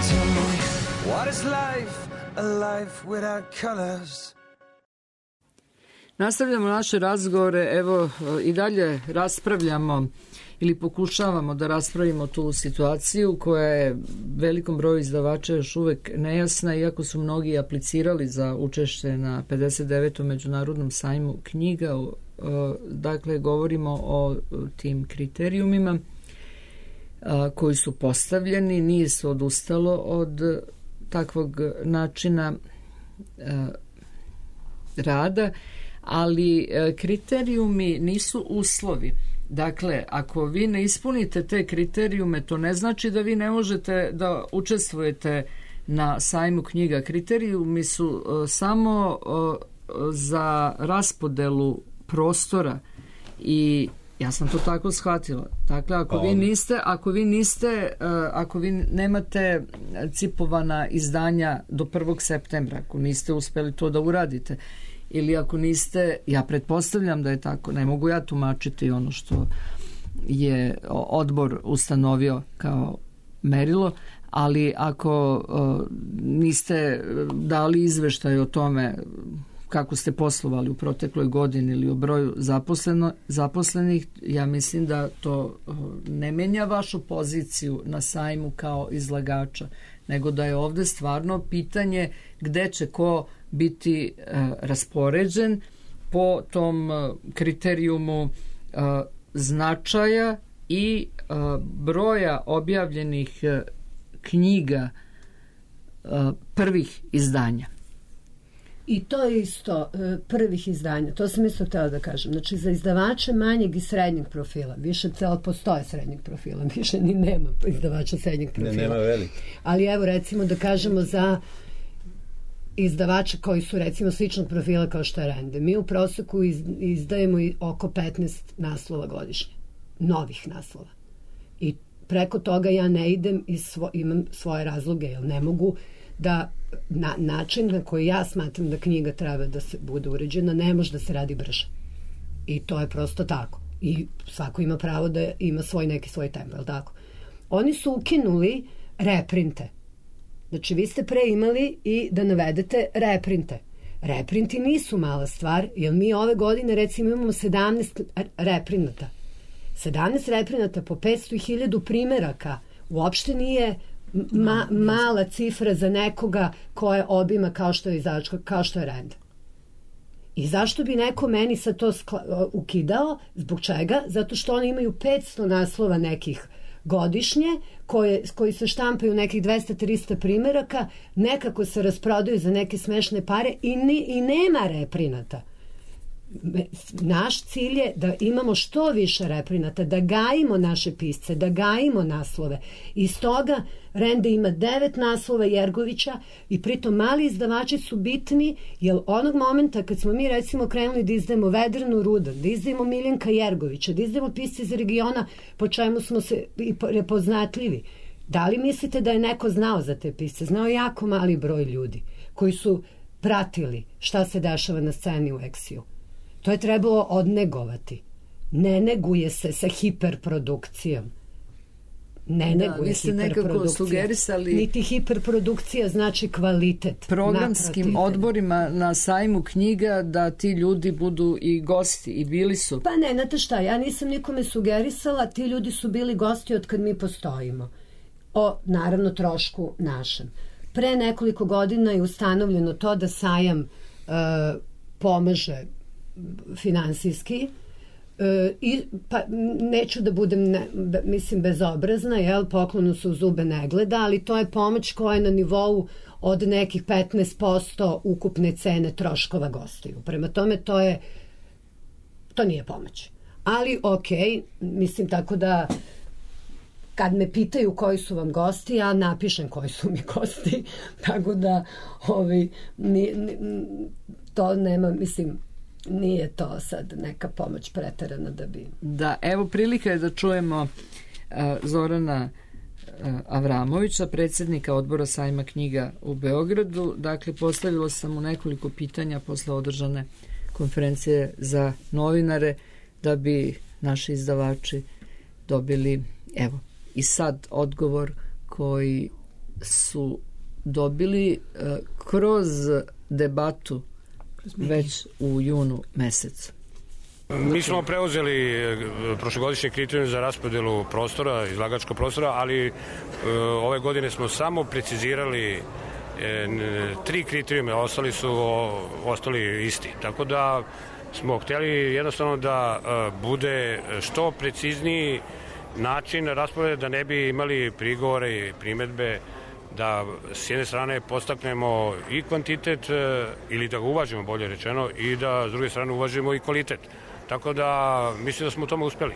Tell me, what is life? A life without colors.
Nastavljamo naše razgovore, evo i dalje raspravljamo ili pokušavamo da raspravimo tu situaciju koja je velikom broju izdavača još uvek nejasna, iako su mnogi aplicirali za učešće na pedeset devetom međunarodnom sajmu knjiga. Dakle, govorimo o tim kriterijumima koji su postavljeni, nije se odustalo od takvog načina rada, ali kriterijumi nisu uslovi. Dakle, ako vi ne ispunite te kriterijume, to ne znači da vi ne možete da učestvujete na sajmu knjiga. Kriterijumi su samo za raspodelu prostora i ja sam to tako shvatila. Dakle, ako vi niste, ako vi niste, ako vi nemate cipovana izdanja do prvog septembra, ako niste uspeli to da uradite, ili ako niste, ja pretpostavljam da je tako, ne mogu ja tumačiti ono što je odbor ustanovio kao merilo, ali ako niste dali izveštaj o tome kako ste poslovali u protekloj godini ili o broju zaposleno, zaposlenih, ja mislim da to ne menja vašu poziciju na sajmu kao izlagača, nego da je ovde stvarno pitanje gde će ko biti uh, raspoređen po tom uh, kriterijumu uh, značaja i uh, broja objavljenih uh, knjiga uh, prvih izdanja.
I to je isto prvih izdanja, to sam isto htjela da kažem. Znači, za izdavače manjeg i srednjeg profila, više celo postoje srednjeg profila, više ni nema izdavača srednjeg profila.
Ne, nema veliki.
Ali evo, recimo da kažemo za izdavača koji su recimo sličnog profila kao što je Rende. Mi u proseku izdajemo oko petnaest naslova godišnje, novih naslova. I preko toga ja ne idem i svo, imam svoje razloge, jer ne mogu da na način na koji ja smatram da knjiga treba da se bude uređena, ne može da se radi brže. I to je prosto tako. I svako ima pravo da ima svoj neki svoj tempo, je li tako? Oni su ukinuli reprinte. Znači, vi ste pre imali i da navedete reprinte. Reprinti nisu mala stvar, jer mi ove godine recimo imamo sedamnaest reprinata. sedamnaest reprinata po petsto i hiljadu primeraka uopšte nije ma, mala cifra za nekoga koje obima kao što je izdavačka, kao što je Rand. I zašto bi neko meni sad to skla, ukidao? Zbog čega? Zato što oni imaju petsto naslova nekih godišnje, koje, koji se štampaju nekih dvesta do trista primeraka, nekako se rasprodaju za neke smešne pare i, ni, i nema reprinata. Naš cilj je da imamo što više reprinata, da gajimo naše pisce, da gajimo naslove. I stoga Rende ima devet naslova Jergovića i pritom mali izdavači su bitni, jer onog momenta kad smo mi recimo krenuli da izdajemo Vedranu Rudan, da izdajemo Miljenka Jergovića, da izdajemo pisce iz regiona po čemu smo se i prepoznatljivi, da li mislite da je neko znao za te pisce? Znao jako mali broj ljudi koji su pratili šta se dešava na sceni u Eksiju. To je trebalo odnegovati. Ne neguje se sa hiperprodukcijom. Ne
da,
neguje
se nekako sugerisali
niti hiperprodukcija znači kvalitet.
Programskim naprotiv. Odborima na sajmu knjiga da ti ljudi budu i gosti i bili su.
Pa ne, znate šta, ja nisam nikome sugerisala, ti ljudi su bili gosti od kad mi postojimo. O, naravno, trošku našem. Pre nekoliko godina je ustanovljeno to da sajam uh, pomaže finansijski e, i pa neću da budem ne, mislim bezobrazna, jel, poklonu se u zube ne gleda, ali to je pomoć koja je na nivou od nekih petnaest posto ukupne cene troškova gostiju. Prema tome to je to nije pomoć. Ali ok, mislim tako da kad me pitaju koji su vam gosti, ja napišem koji su mi gosti, tako da ovi, ni, ni, to nema, mislim, nije to sad neka pomoć preterana da bi...
Da, evo prilika je da čujemo uh, Zorana uh, Avramovića, predsjednika odbora sajma knjiga u Beogradu. Dakle, postavilo sam mu nekoliko pitanja posle održane konferencije za novinare da bi naši izdavači dobili, evo, i sad odgovor koji su dobili uh, kroz debatu već u junu mesecu.
Mi smo preuzeli prošlogodišnje kriterijume za raspodelu prostora, izlagačkog prostora, ali e, ove godine smo samo precizirali e, tri kriterijume, ostali su o, ostali isti. Tako da smo htjeli jednostavno da e, bude što precizniji način raspodele, da ne bi imali prigovore i primedbe, da s jedne strane postaknemo i kvantitet e, ili da ga uvažimo, bolje rečeno, i da s druge strane uvažimo i kvalitet. Tako da mislim da smo u tome uspeli.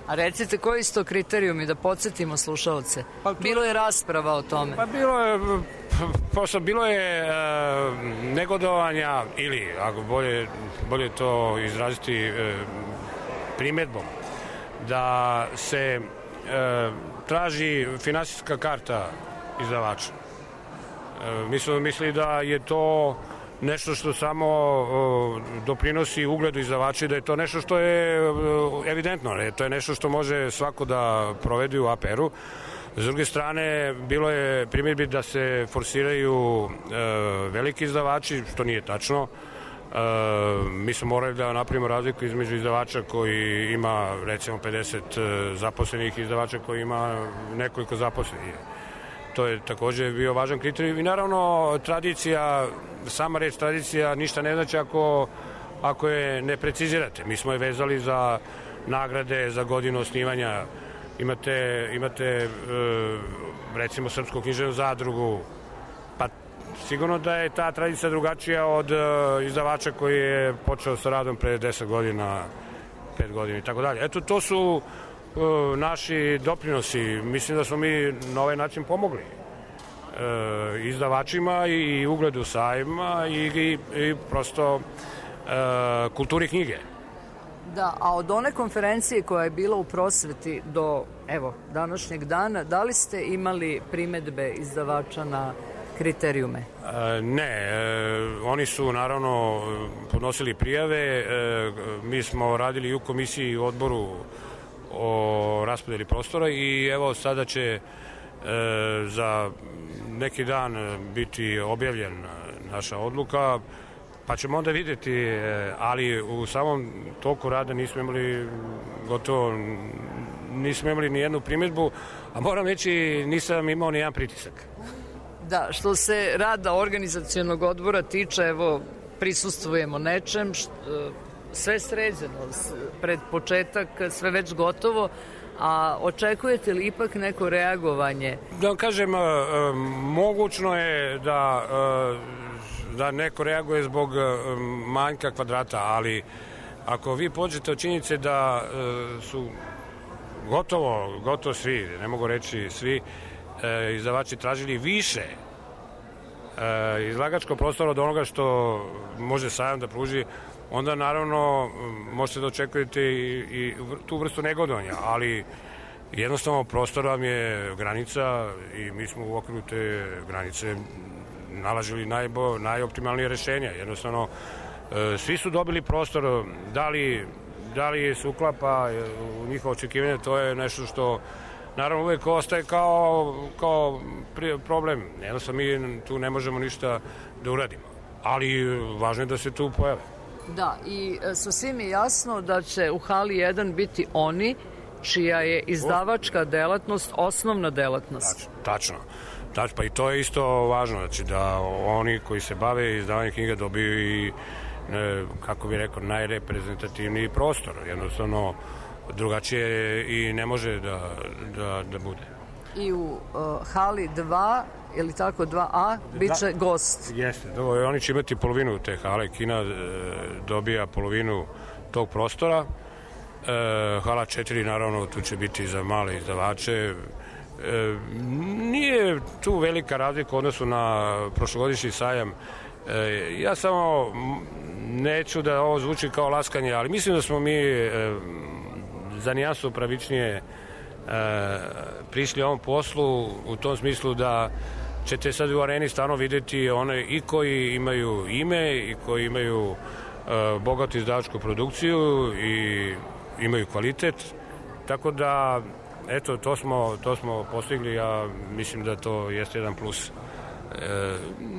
A recite koji su to kriterijumi, da podsjetimo slušalce? Pa to, bilo je rasprava o tome.
Pa bilo je, posle, bilo je e, negodovanja ili, ako bolje, bolje to izraziti e, primedbom, da se e, traži finansijska karta izdavača. E, mi smo mislili da je to nešto što samo o, doprinosi ugledu izdavača i da je to nešto što je o, evidentno. Ne? To je nešto što može svako da provedi u A P R-u. S druge strane, bilo je primjedbi da se forsiraju e, veliki izdavači, što nije tačno. E, mi smo morali da napravimo razliku između izdavača koji ima recimo pedeset zaposlenih i izdavača koji ima nekoliko zaposlenih. To je također bio važan kriterij. I naravno, tradicija, sama reč tradicija ništa ne znači ako, ako je ne precizirate. Mi smo je vezali za nagrade, za godinu osnivanja. Imate, imate recimo Srpsku književnu zadrugu, pa sigurno da je ta tradicija drugačija od izdavača koji je počeo sa radom pre deset godina, pet godina i tako dalje. Eto, to su naši doprinosi. Mislim da smo mi na ovaj način pomogli e, izdavačima i ugledu sajma i, i, i prosto e, kulturi knjige.
Da, a od one konferencije koja je bila u prosveti do, evo, današnjeg dana, da li ste imali primedbe izdavača na kriterijume?
E, ne, e, oni su naravno podnosili prijave, e, mi smo radili i u komisiji i u odboru o raspodeli prostora i evo sada će za neki dan biti objavljen naša odluka, pa ćemo onda vidjeti, ali u samom toku rada nismo imali gotovo, nismo imali ni jednu primjedbu, a moram reći nisam imao ni jedan pritisak.
Da, što se rada organizacionog odbora tiče, evo, prisustvujemo nečem, što, sve sređeno, pred početak, sve već gotovo, a očekujete li ipak neko reagovanje?
Da vam kažem, mogućno je da, da neko reaguje zbog manjka kvadrata, ali ako vi pođete od činjenice da su gotovo, gotovo svi, ne mogu reći svi, izdavači tražili više izlagačkog prostora od onoga što može sajam da pruži, onda naravno možete da očekujete i, i tu vrstu negodovanja, ali jednostavno prostor vam je granica i mi smo u okviru te granice nalažili najbo, najoptimalnije rešenja. Jednostavno, svi su dobili prostor, da li, da li se uklapa u njihovo očekivanje, to je nešto što naravno uvek ostaje kao, kao problem. Jednostavno mi tu ne možemo ništa da uradimo, ali važno je da se tu pojave.
Da, i sasvim je jasno da će u hali jedan biti oni čija je izdavačka delatnost osnovna delatnost.
Tačno, tačno. Tačno, pa i to je isto važno, znači da oni koji se bave izdavanjem knjiga dobiju i, ne, kako bih rekao, najreprezentativniji prostor. Jednostavno, drugačije i ne može da, da, da bude.
I u uh, hali dva, ili tako dva A, bit će da, gost.
Jeste, do, oni će imati polovinu te hale, kina e, dobija polovinu tog prostora. E, hala četiri, naravno, tu će biti za male izdavače. E, nije tu velika razlika u odnosu na prošlogodišnji sajam. E, ja samo neću da ovo zvuči kao laskanje, ali mislim da smo mi e, za nijansu pravičnije e, prišli ovom poslu u tom smislu da ćete sad u areni stvarno vidjeti one i koji imaju ime i koji imaju e, bogatu izdavačku produkciju i imaju kvalitet, tako da eto, to smo, to smo postigli, ja mislim da to jeste jedan plus e,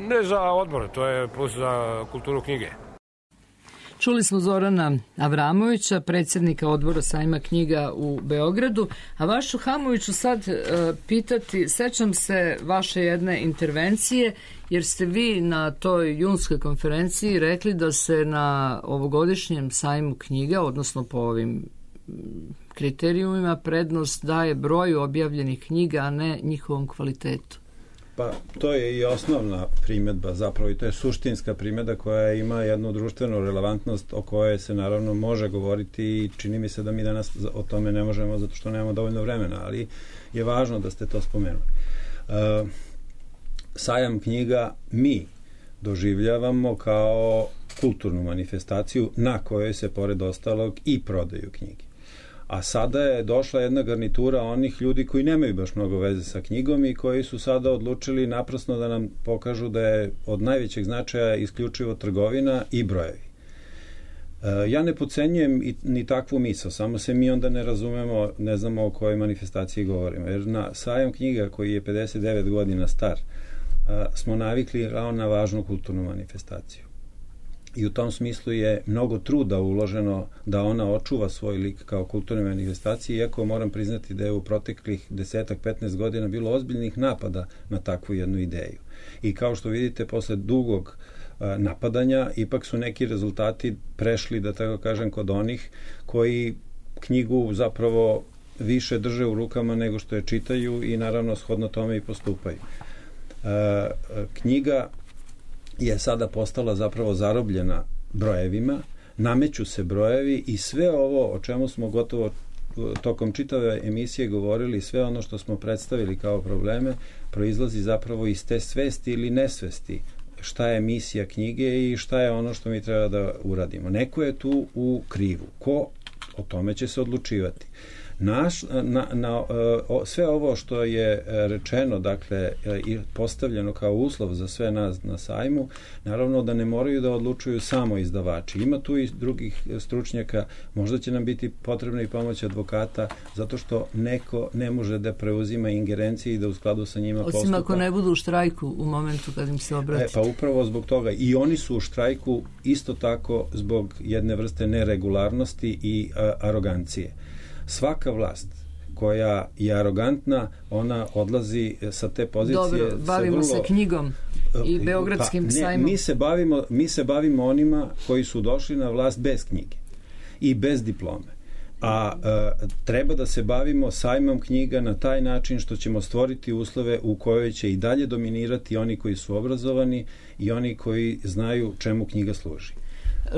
ne za odbor, to je plus za kulturu knjige.
Čuli smo Zorana Avramovića, predsjednika odbora sajma knjiga u Beogradu, a vašu Hamoviću sad e, pitati, sećam se vaše jedne intervencije, jer ste vi na toj junskoj konferenciji rekli da se na ovogodišnjem sajmu knjiga, odnosno po ovim kriterijumima, prednost daje broju objavljenih knjiga, a ne njihovom kvalitetu.
Pa to je i osnovna primjedba zapravo i to je suštinska primjedba koja ima jednu društvenu relevantnost o kojoj se naravno može govoriti i čini mi se da mi danas o tome ne možemo zato što nemamo dovoljno vremena, ali je važno da ste to spomenuli. Uh, sajam knjiga mi doživljavamo kao kulturnu manifestaciju na kojoj se pored ostalog i prodaju knjige. A sada je došla jedna garnitura onih ljudi koji nemaju baš mnogo veze sa knjigom i koji su sada odlučili naprasno da nam pokažu da je od najvećeg značaja isključivo trgovina i brojevi. E, ja ne podcenjujem i, ni takvu misao, samo se mi onda ne razumemo, ne znamo o kojoj manifestaciji govorimo. Jer na sajam knjiga koji je pedeset devet godina star, a, smo navikli na važnu kulturnu manifestaciju. I u tom smislu je mnogo truda uloženo da ona očuva svoj lik kao kulturne manifestacije, iako moram priznati da je u proteklih desetak, petnaest godina bilo ozbiljnih napada na takvu jednu ideju. I kao što vidite, posle dugog a, napadanja, ipak su neki rezultati prešli, da tako kažem, kod onih koji knjigu zapravo više drže u rukama nego što je čitaju i naravno shodno tome i postupaju. A, knjiga je sada postala zapravo zarobljena brojevima, nameću se brojevi i sve ovo o čemu smo gotovo tokom čitave emisije govorili, sve ono što smo predstavili kao probleme, proizlazi zapravo iz te svesti ili nesvesti šta je misija knjige i šta je ono što mi treba da uradimo. Neko je tu u krivu. Ko? O tome će se odlučivati. Naš, na, na, o, sve ovo što je rečeno, dakle, i postavljeno kao uslov za sve nas na sajmu, naravno da ne moraju da odlučuju samo izdavači. Ima tu i drugih stručnjaka, možda će nam biti potrebna i pomoć advokata, zato što neko ne može da preuzima ingerencije i da u skladu sa njima postupa.
Osim ako ne budu u štrajku u momentu kad im se obrati.
E, pa upravo zbog toga. I oni su u štrajku isto tako zbog jedne vrste neregularnosti i a, arogancije. Svaka vlast koja je arogantna, ona odlazi sa te pozicije.
Dobro, bavimo
vrlo,
se knjigom i Beogradskim
pa, ne,
sajmom.
Mi se, bavimo, mi se bavimo onima koji su došli na vlast bez knjige i bez diplome. A e, treba da se bavimo sajmom knjiga na taj način što ćemo stvoriti uslove u kojoj će i dalje dominirati oni koji su obrazovani i oni koji znaju čemu knjiga služi.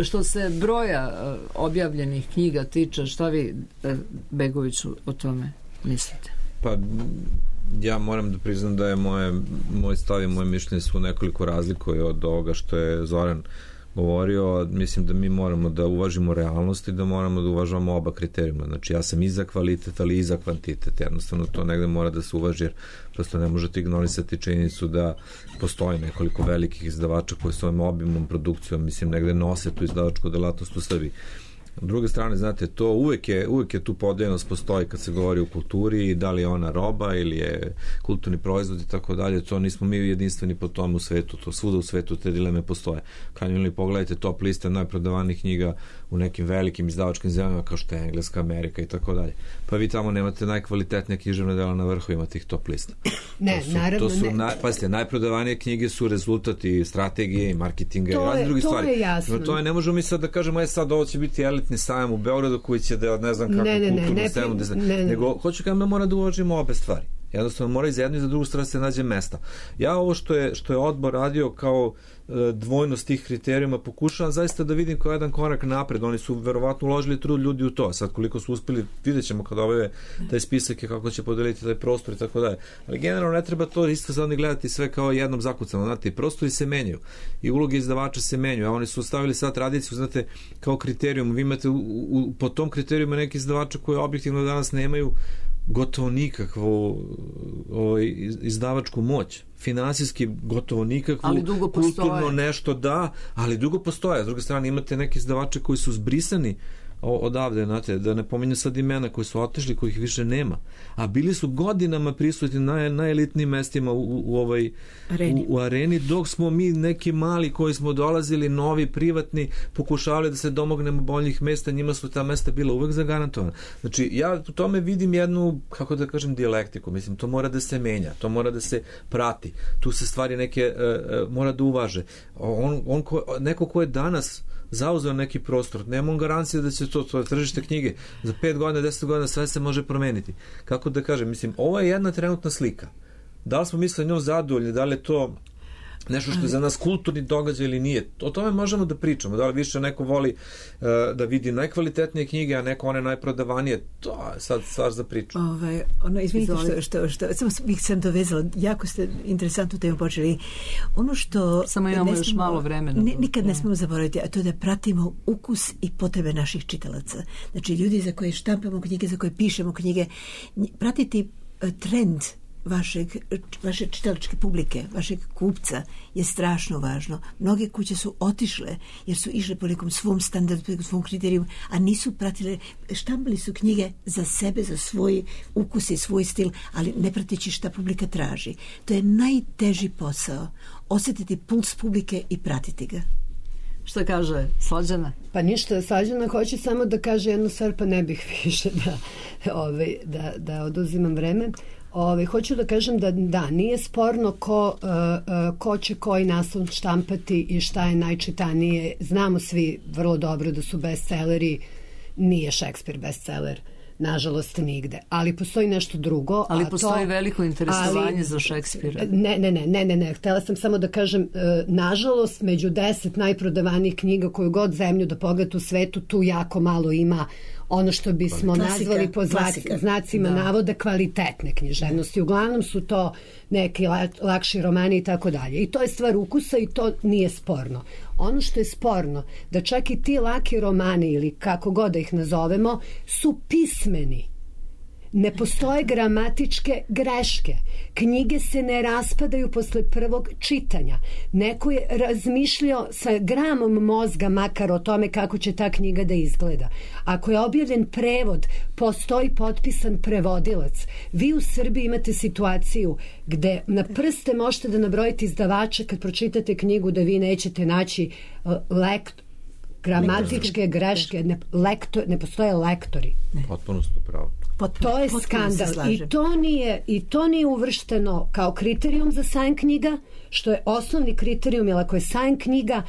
Što se broja objavljenih knjiga tiče, šta vi, Begoviću, o tome mislite?
Pa ja moram da priznam da je moje, moj stav i moje mišljenje su nekoliko razlikuje od ovoga što je Zoran govorio. Mislim da mi moramo da uvažimo realnost i da moramo da uvažavamo oba kriterijuma. Znači ja sam i za kvalitet, ali i za kvantitet. Jednostavno to negde mora da se uvaži, jer prosto ne možete ignorisati činjenicu da postoji nekoliko velikih izdavača koji svojom obimnom produkcijom, mislim, negde nose tu izdavačku delatnost u Srbiji. S druge strane, znate, to uvek je, uvek je tu podeljenost postoji kad se govori o kulturi, da li je ona roba ili je kulturni proizvod i tako dalje. To nismo mi jedinstveni po tom u svetu, to svuda u svetu te dileme postoje. Kad ili pogledajte top liste najprodavanijih knjiga u nekim velikim izdavačkim zemljama kao što je Engleska, Amerika i tako dalje. Pa vi tamo nemate najkvalitetnije književne dela na vrhovima tih top lista.
Ne,
to su,
naravno
to su
ne.
Naj, pazite, najprodavanije knjige su rezultati strategije i marketinga
to
i razne druge
to
stvari.
Je jasno.
To je, ne možemo mi sad da kažemo, aj sad ovo će biti elitni sajam u Beogradu koji će da, ne znam kako,
ne, ne,
kulturnu
ne,
scenu,
ne, ne, ne.
nego hoću kao da mora da uvažimo obe stvari. Jednostavno mora i za jednu i za drugu stranu se nađe mesta. Ja ovo što je, što je odbor radio kao e, dvojnost tih kriterijuma pokušavam zaista da vidim kao jedan korak napred. Oni su verovatno uložili trud ljudi u to. Sad koliko su uspeli, vidjet ćemo kada obave taj spisak i kako će podeliti taj prostor i tako dalje. Ali generalno ne treba to isto sad gledati sve kao jednom zakucano. Znate, prostori se menjaju i uloge izdavača se menjaju. A oni su stavili sad tradiciju, znate, kao kriterijum. Vi imate u, u, po tom kriterijuma neki izdavača koji objektivno danas nemaju gotovo nikakvu o, izdavačku moć. Finansijski gotovo nikakvu, kulturno nešto da, ali dugo postoje. S druge strane imate neke izdavače koji su zbrisani odavde, znate, da ne pominjem sad imena koji su otišli, kojih više nema, a bili su godinama prisutni na najelitnijim mestima u, u, u ovoj
areni.
U, u areni, dok smo mi neki mali koji smo dolazili, novi, privatni, pokušavali da se domognemo boljih mesta, njima su ta mesta bila uvek zagarantovana. Znači, ja u tome vidim jednu, kako da kažem, dijalektiku, mislim, to mora da se menja, to mora da se prati, tu se stvari neke uh, uh, mora da uvaže. On, on ko, neko ko je danas zauzeo neki prostor, nemam garancije da će to, to je tržište knjige, za pet godina, deset godina sve se može promeniti. Kako da kažem, mislim, ovo je jedna trenutna slika. Da li smo mislili njom zadovoljni, da li je to nešto što je za nas kulturni događaj ili nije. O tome možemo da pričamo. Da li više neko voli uh, da vidi najkvalitetnije knjige, a neko one najprodavanije. To je sad stvar za priču.
Ovaj, ono, izvinite što, što, što samo bih sam dovezala. Jako ste interesantnu temu počeli. Ono što...
Samo imamo još smemo, malo vremena.
Ne, nikad ne smemo zaboraviti, a to je da pratimo ukus i potrebe naših čitalaca. Znači, ljudi za koje štampamo knjige, za koje pišemo knjige, pratiti uh, trend vašeg, vaše čitalačke publike, vašeg kupca je strašno važno. Mnoge kuće su otišle jer su išle po nekom svom standardu, po nekom svom kriteriju, a nisu pratile, štampali su knjige za sebe, za svoj ukus i svoj stil, ali ne prateći šta publika traži. To je najteži posao. Osjetiti puls publike i pratiti ga.
Što kaže Slađana?
Pa ništa, Slađana hoće samo da kaže jednu stvar, pa ne bih više da, ovaj, da, da oduzimam vreme. Ove, hoću da kažem da da, nije sporno ko, uh, uh, ko će koji naslov štampati i šta je najčitanije. Znamo svi vrlo dobro da su bestselleri, nije Šekspir bestseller, nažalost nigde. Ali postoji nešto drugo.
Ali
a
postoji
to,
veliko interesovanje
ali,
za Šekspira.
Ne, ne, ne, ne, ne, ne. Htela sam samo da kažem, uh, nažalost, među deset najprodavanijih knjiga koju god zemlju da pogledate u svetu, tu jako malo ima ono što bismo klasika, nazvali po klasika. znacima da. navoda kvalitetne književnosti. Uglavnom su to neki lakši romani i tako dalje. I to je stvar ukusa i to nije sporno. Ono što je sporno, da čak i ti laki romani ili kako god da ih nazovemo, su pismeni Ne postoje gramatičke greške. Knjige se ne raspadaju posle prvog čitanja. Neko je razmišljao sa gramom mozga makar o tome kako će ta knjiga da izgleda. Ako je objavljen prevod, postoji potpisan prevodilac. Vi u Srbiji imate situaciju gde na prste možete da nabrojite izdavača kad pročitate knjigu da vi nećete naći uh, lekt, gramatičke greške. Ne, lektor, ne postoje lektori.
Potpuno ste pravo.
Potpuno, to je skandal i to nije i to nije uvršteno kao kriterijum za sajam knjiga, što je osnovni kriterijum, jer ako je sajam knjiga,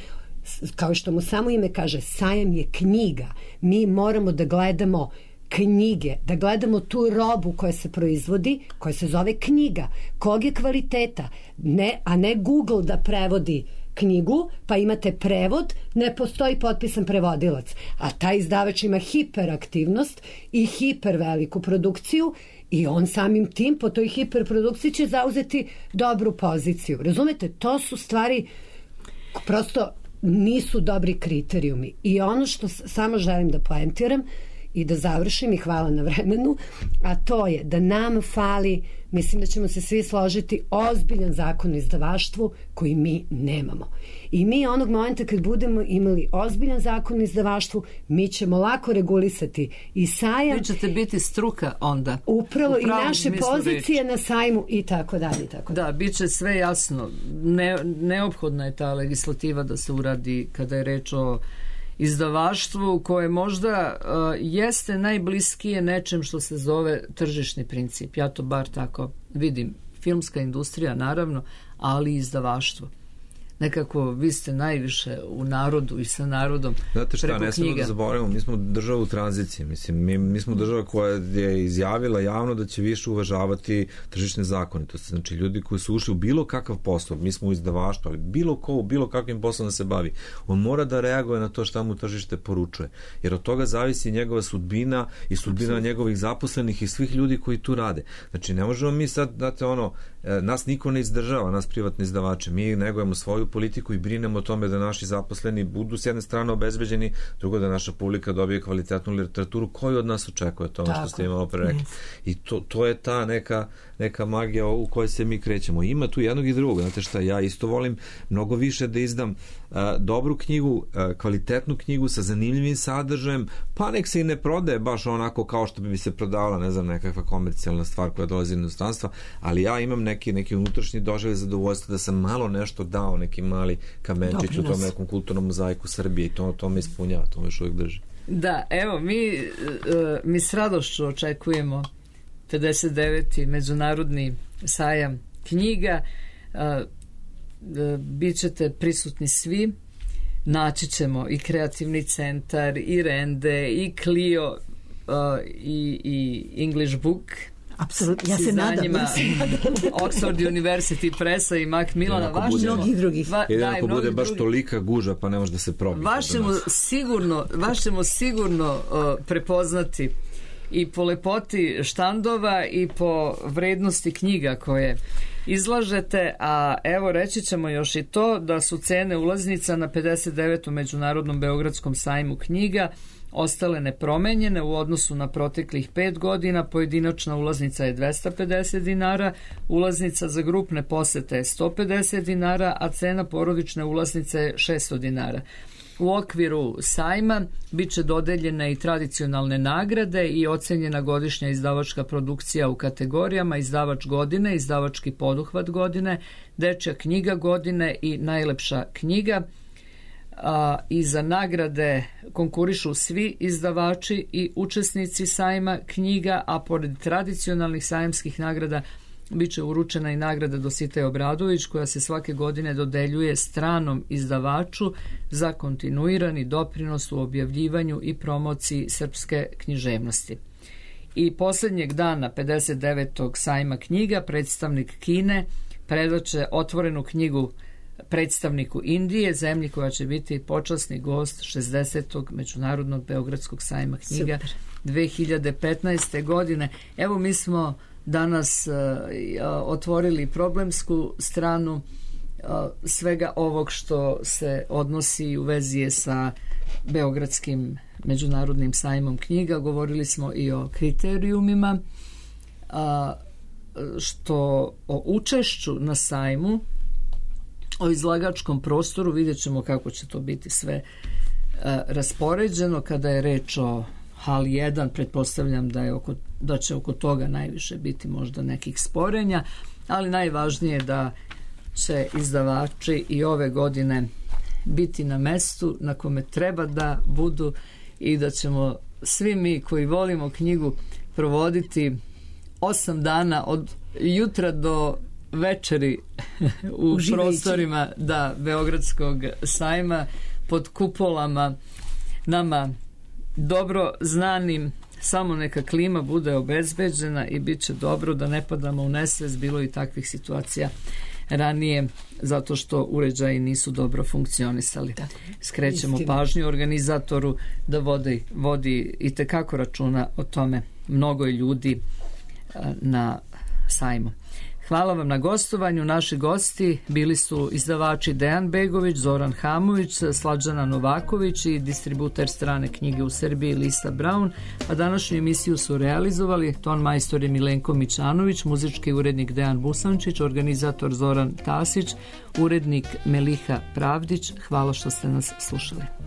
kao što mu samo ime kaže, sajam je knjiga. Mi moramo da gledamo knjige, da gledamo tu robu koja se proizvodi, koja se zove knjiga, kog je kvaliteta, ne, a ne Google da prevodi knjigu, pa imate prevod, ne postoji potpisan prevodilac. A taj izdavač ima hiperaktivnost i hiperveliku produkciju i on samim tim po toj hiperprodukciji će zauzeti dobru poziciju. Razumete? To su stvari prosto nisu dobri kriterijumi. I ono što samo želim da poentiram i da završim i hvala na vremenu, a to je da nam fali, mislim da ćemo se svi složiti, ozbiljan zakon o izdavaštvu koji mi nemamo. I mi onog momenta kad budemo imali ozbiljan zakon o izdavaštvu, mi ćemo lako regulisati i sajam.
Vi ćete biti struka onda.
Upravo i naše pozicije reči na sajmu i tako dalje. Tako
da, bit će sve jasno. Ne, neophodna je ta legislativa da se uradi kada je reč o izdavaštvu koje možda uh, jeste najbliskije nečem što se zove tržišni princip. Ja to bar tako vidim. Filmska industrija naravno, ali i izdavaštvo. Nekako vi ste najviše u narodu i sa narodom.
Znate šta, ne smemo da zaboravimo, mi smo država u tranziciji. Mislim, mi, mi smo država koja je izjavila javno da će više uvažavati tržišne zakonitosti. Znači, ljudi koji su ušli u bilo kakav posao, mi smo u izdavaštvu, ali bilo ko u bilo kakvim poslom da se bavi, on mora da reaguje na to šta mu tržište poručuje. Jer od toga zavisi njegova sudbina i sudbina Absolut. njegovih zaposlenih i svih ljudi koji tu rade. Znači, ne možemo mi sad, znate, ono, nas niko ne izdržava, nas privatni izdavače. Mi negujemo svoju politiku i brinemo o tome da naši zaposleni budu s jedne strane obezbeđeni, drugo da naša publika dobije kvalitetnu literaturu koju od nas očekuje, to ono što ste imalo pre rekli. Yes. I to, to je ta neka, neka magija u kojoj se mi krećemo. Ima tu jednog i drugog. Znate šta, ja isto volim mnogo više da izdam uh, dobru knjigu, uh, kvalitetnu knjigu sa zanimljivim sadržajem, pa nek se i ne prodaje baš onako kao što bi se prodavala, ne znam, nekakva komercijalna stvar koja dolazi iz inostranstva, ali ja imam neki, neki unutrašnji doživljaj zadovoljstva da sam malo nešto dao, neki mali kamenčić u tom nekom kulturnom mozaiku Srbije i to, to me ispunjava, to me još uvijek drži.
Da, evo, mi, mi s radošću očekujemo pedeset deveti međunarodni sajam knjiga. Bićete prisutni svi, naći ćemo i Kreativni centar, i Rende, i Clio, i, i English Book.
Apsolutno, ja se nadam. Ja se nadam.
Oxford University Pressa i Macmillana.
Vaš mnogih drugih.
Va, da, ako bude baš drugi. Tolika guža, pa ne može da se probiti.
Vaš ćemo sigurno, vaš ćemo sigurno uh, prepoznati i po lepoti štandova i po vrednosti knjiga koje izlažete, a evo reći ćemo još i to da su cene ulaznica na pedeset devetom međunarodnom beogradskom sajmu knjiga ostale nepromenjene u odnosu na proteklih pet godina. Pojedinačna ulaznica je dvesta pedeset dinara, ulaznica za grupne posete je sto pedeset dinara, a cena porodične ulaznice je šesto dinara. U okviru sajma bit će dodeljene i tradicionalne nagrade i ocenjena godišnja izdavačka produkcija u kategorijama izdavač godine, izdavački poduhvat godine, dečja knjiga godine i najlepša knjiga. A, i za nagrade konkurišu svi izdavači i učesnici sajma knjiga, a pored tradicionalnih sajamskih nagrada bit će uručena i nagrada Dositej Obradović koja se svake godine dodeljuje stranom izdavaču za kontinuirani doprinos u objavljivanju i promociji srpske književnosti. I posljednjeg dana pedeset devetog sajma knjiga predstavnik Kine predaće otvorenu knjigu predstavniku Indije, zemlji koja će biti počasni gost šezdesetog međunarodnog beogradskog sajma knjiga Super. dve hiljade petnaeste. godine. Evo mi smo danas uh, otvorili problemsku stranu uh, svega ovog što se odnosi u vezi je sa Beogradskim međunarodnim sajmom knjiga. Govorili smo i o kriterijumima a, što o učešću na sajmu, o izlagačkom prostoru, vidjet ćemo kako će to biti sve a, raspoređeno. Kada je reč o hali jedan, pretpostavljam da, je oko, da će oko toga najviše biti možda nekih sporenja, ali najvažnije je da će izdavači i ove godine biti na mestu na kome treba da budu i da ćemo svi mi koji volimo knjigu provoditi osam dana od jutra do večeri u Uživajući. prostorima da Beogradskog sajma pod kupolama nama dobro znanim. Samo neka klima bude obezbeđena i bit će dobro, da ne padamo u nesvest. Bilo i takvih situacija ranije zato što uređaji nisu dobro funkcionisali. Da, skrećemo istina. pažnju organizatoru da vodi, vodi i tekako računa o tome. Mnogo je ljudi na sajmu. Hvala vam na gostovanju. Naši gosti bili su izdavači Dejan Begović, Zoran Hamović, Slađana Novaković i distributer strane knjige u Srbiji Lisa Brown, a današnju emisiju su realizovali ton majstor je Milenko Mićanović, muzički urednik Dejan Busančić, organizator Zoran Tasić, urednik Meliha Pravdić. Hvala što ste nas slušali.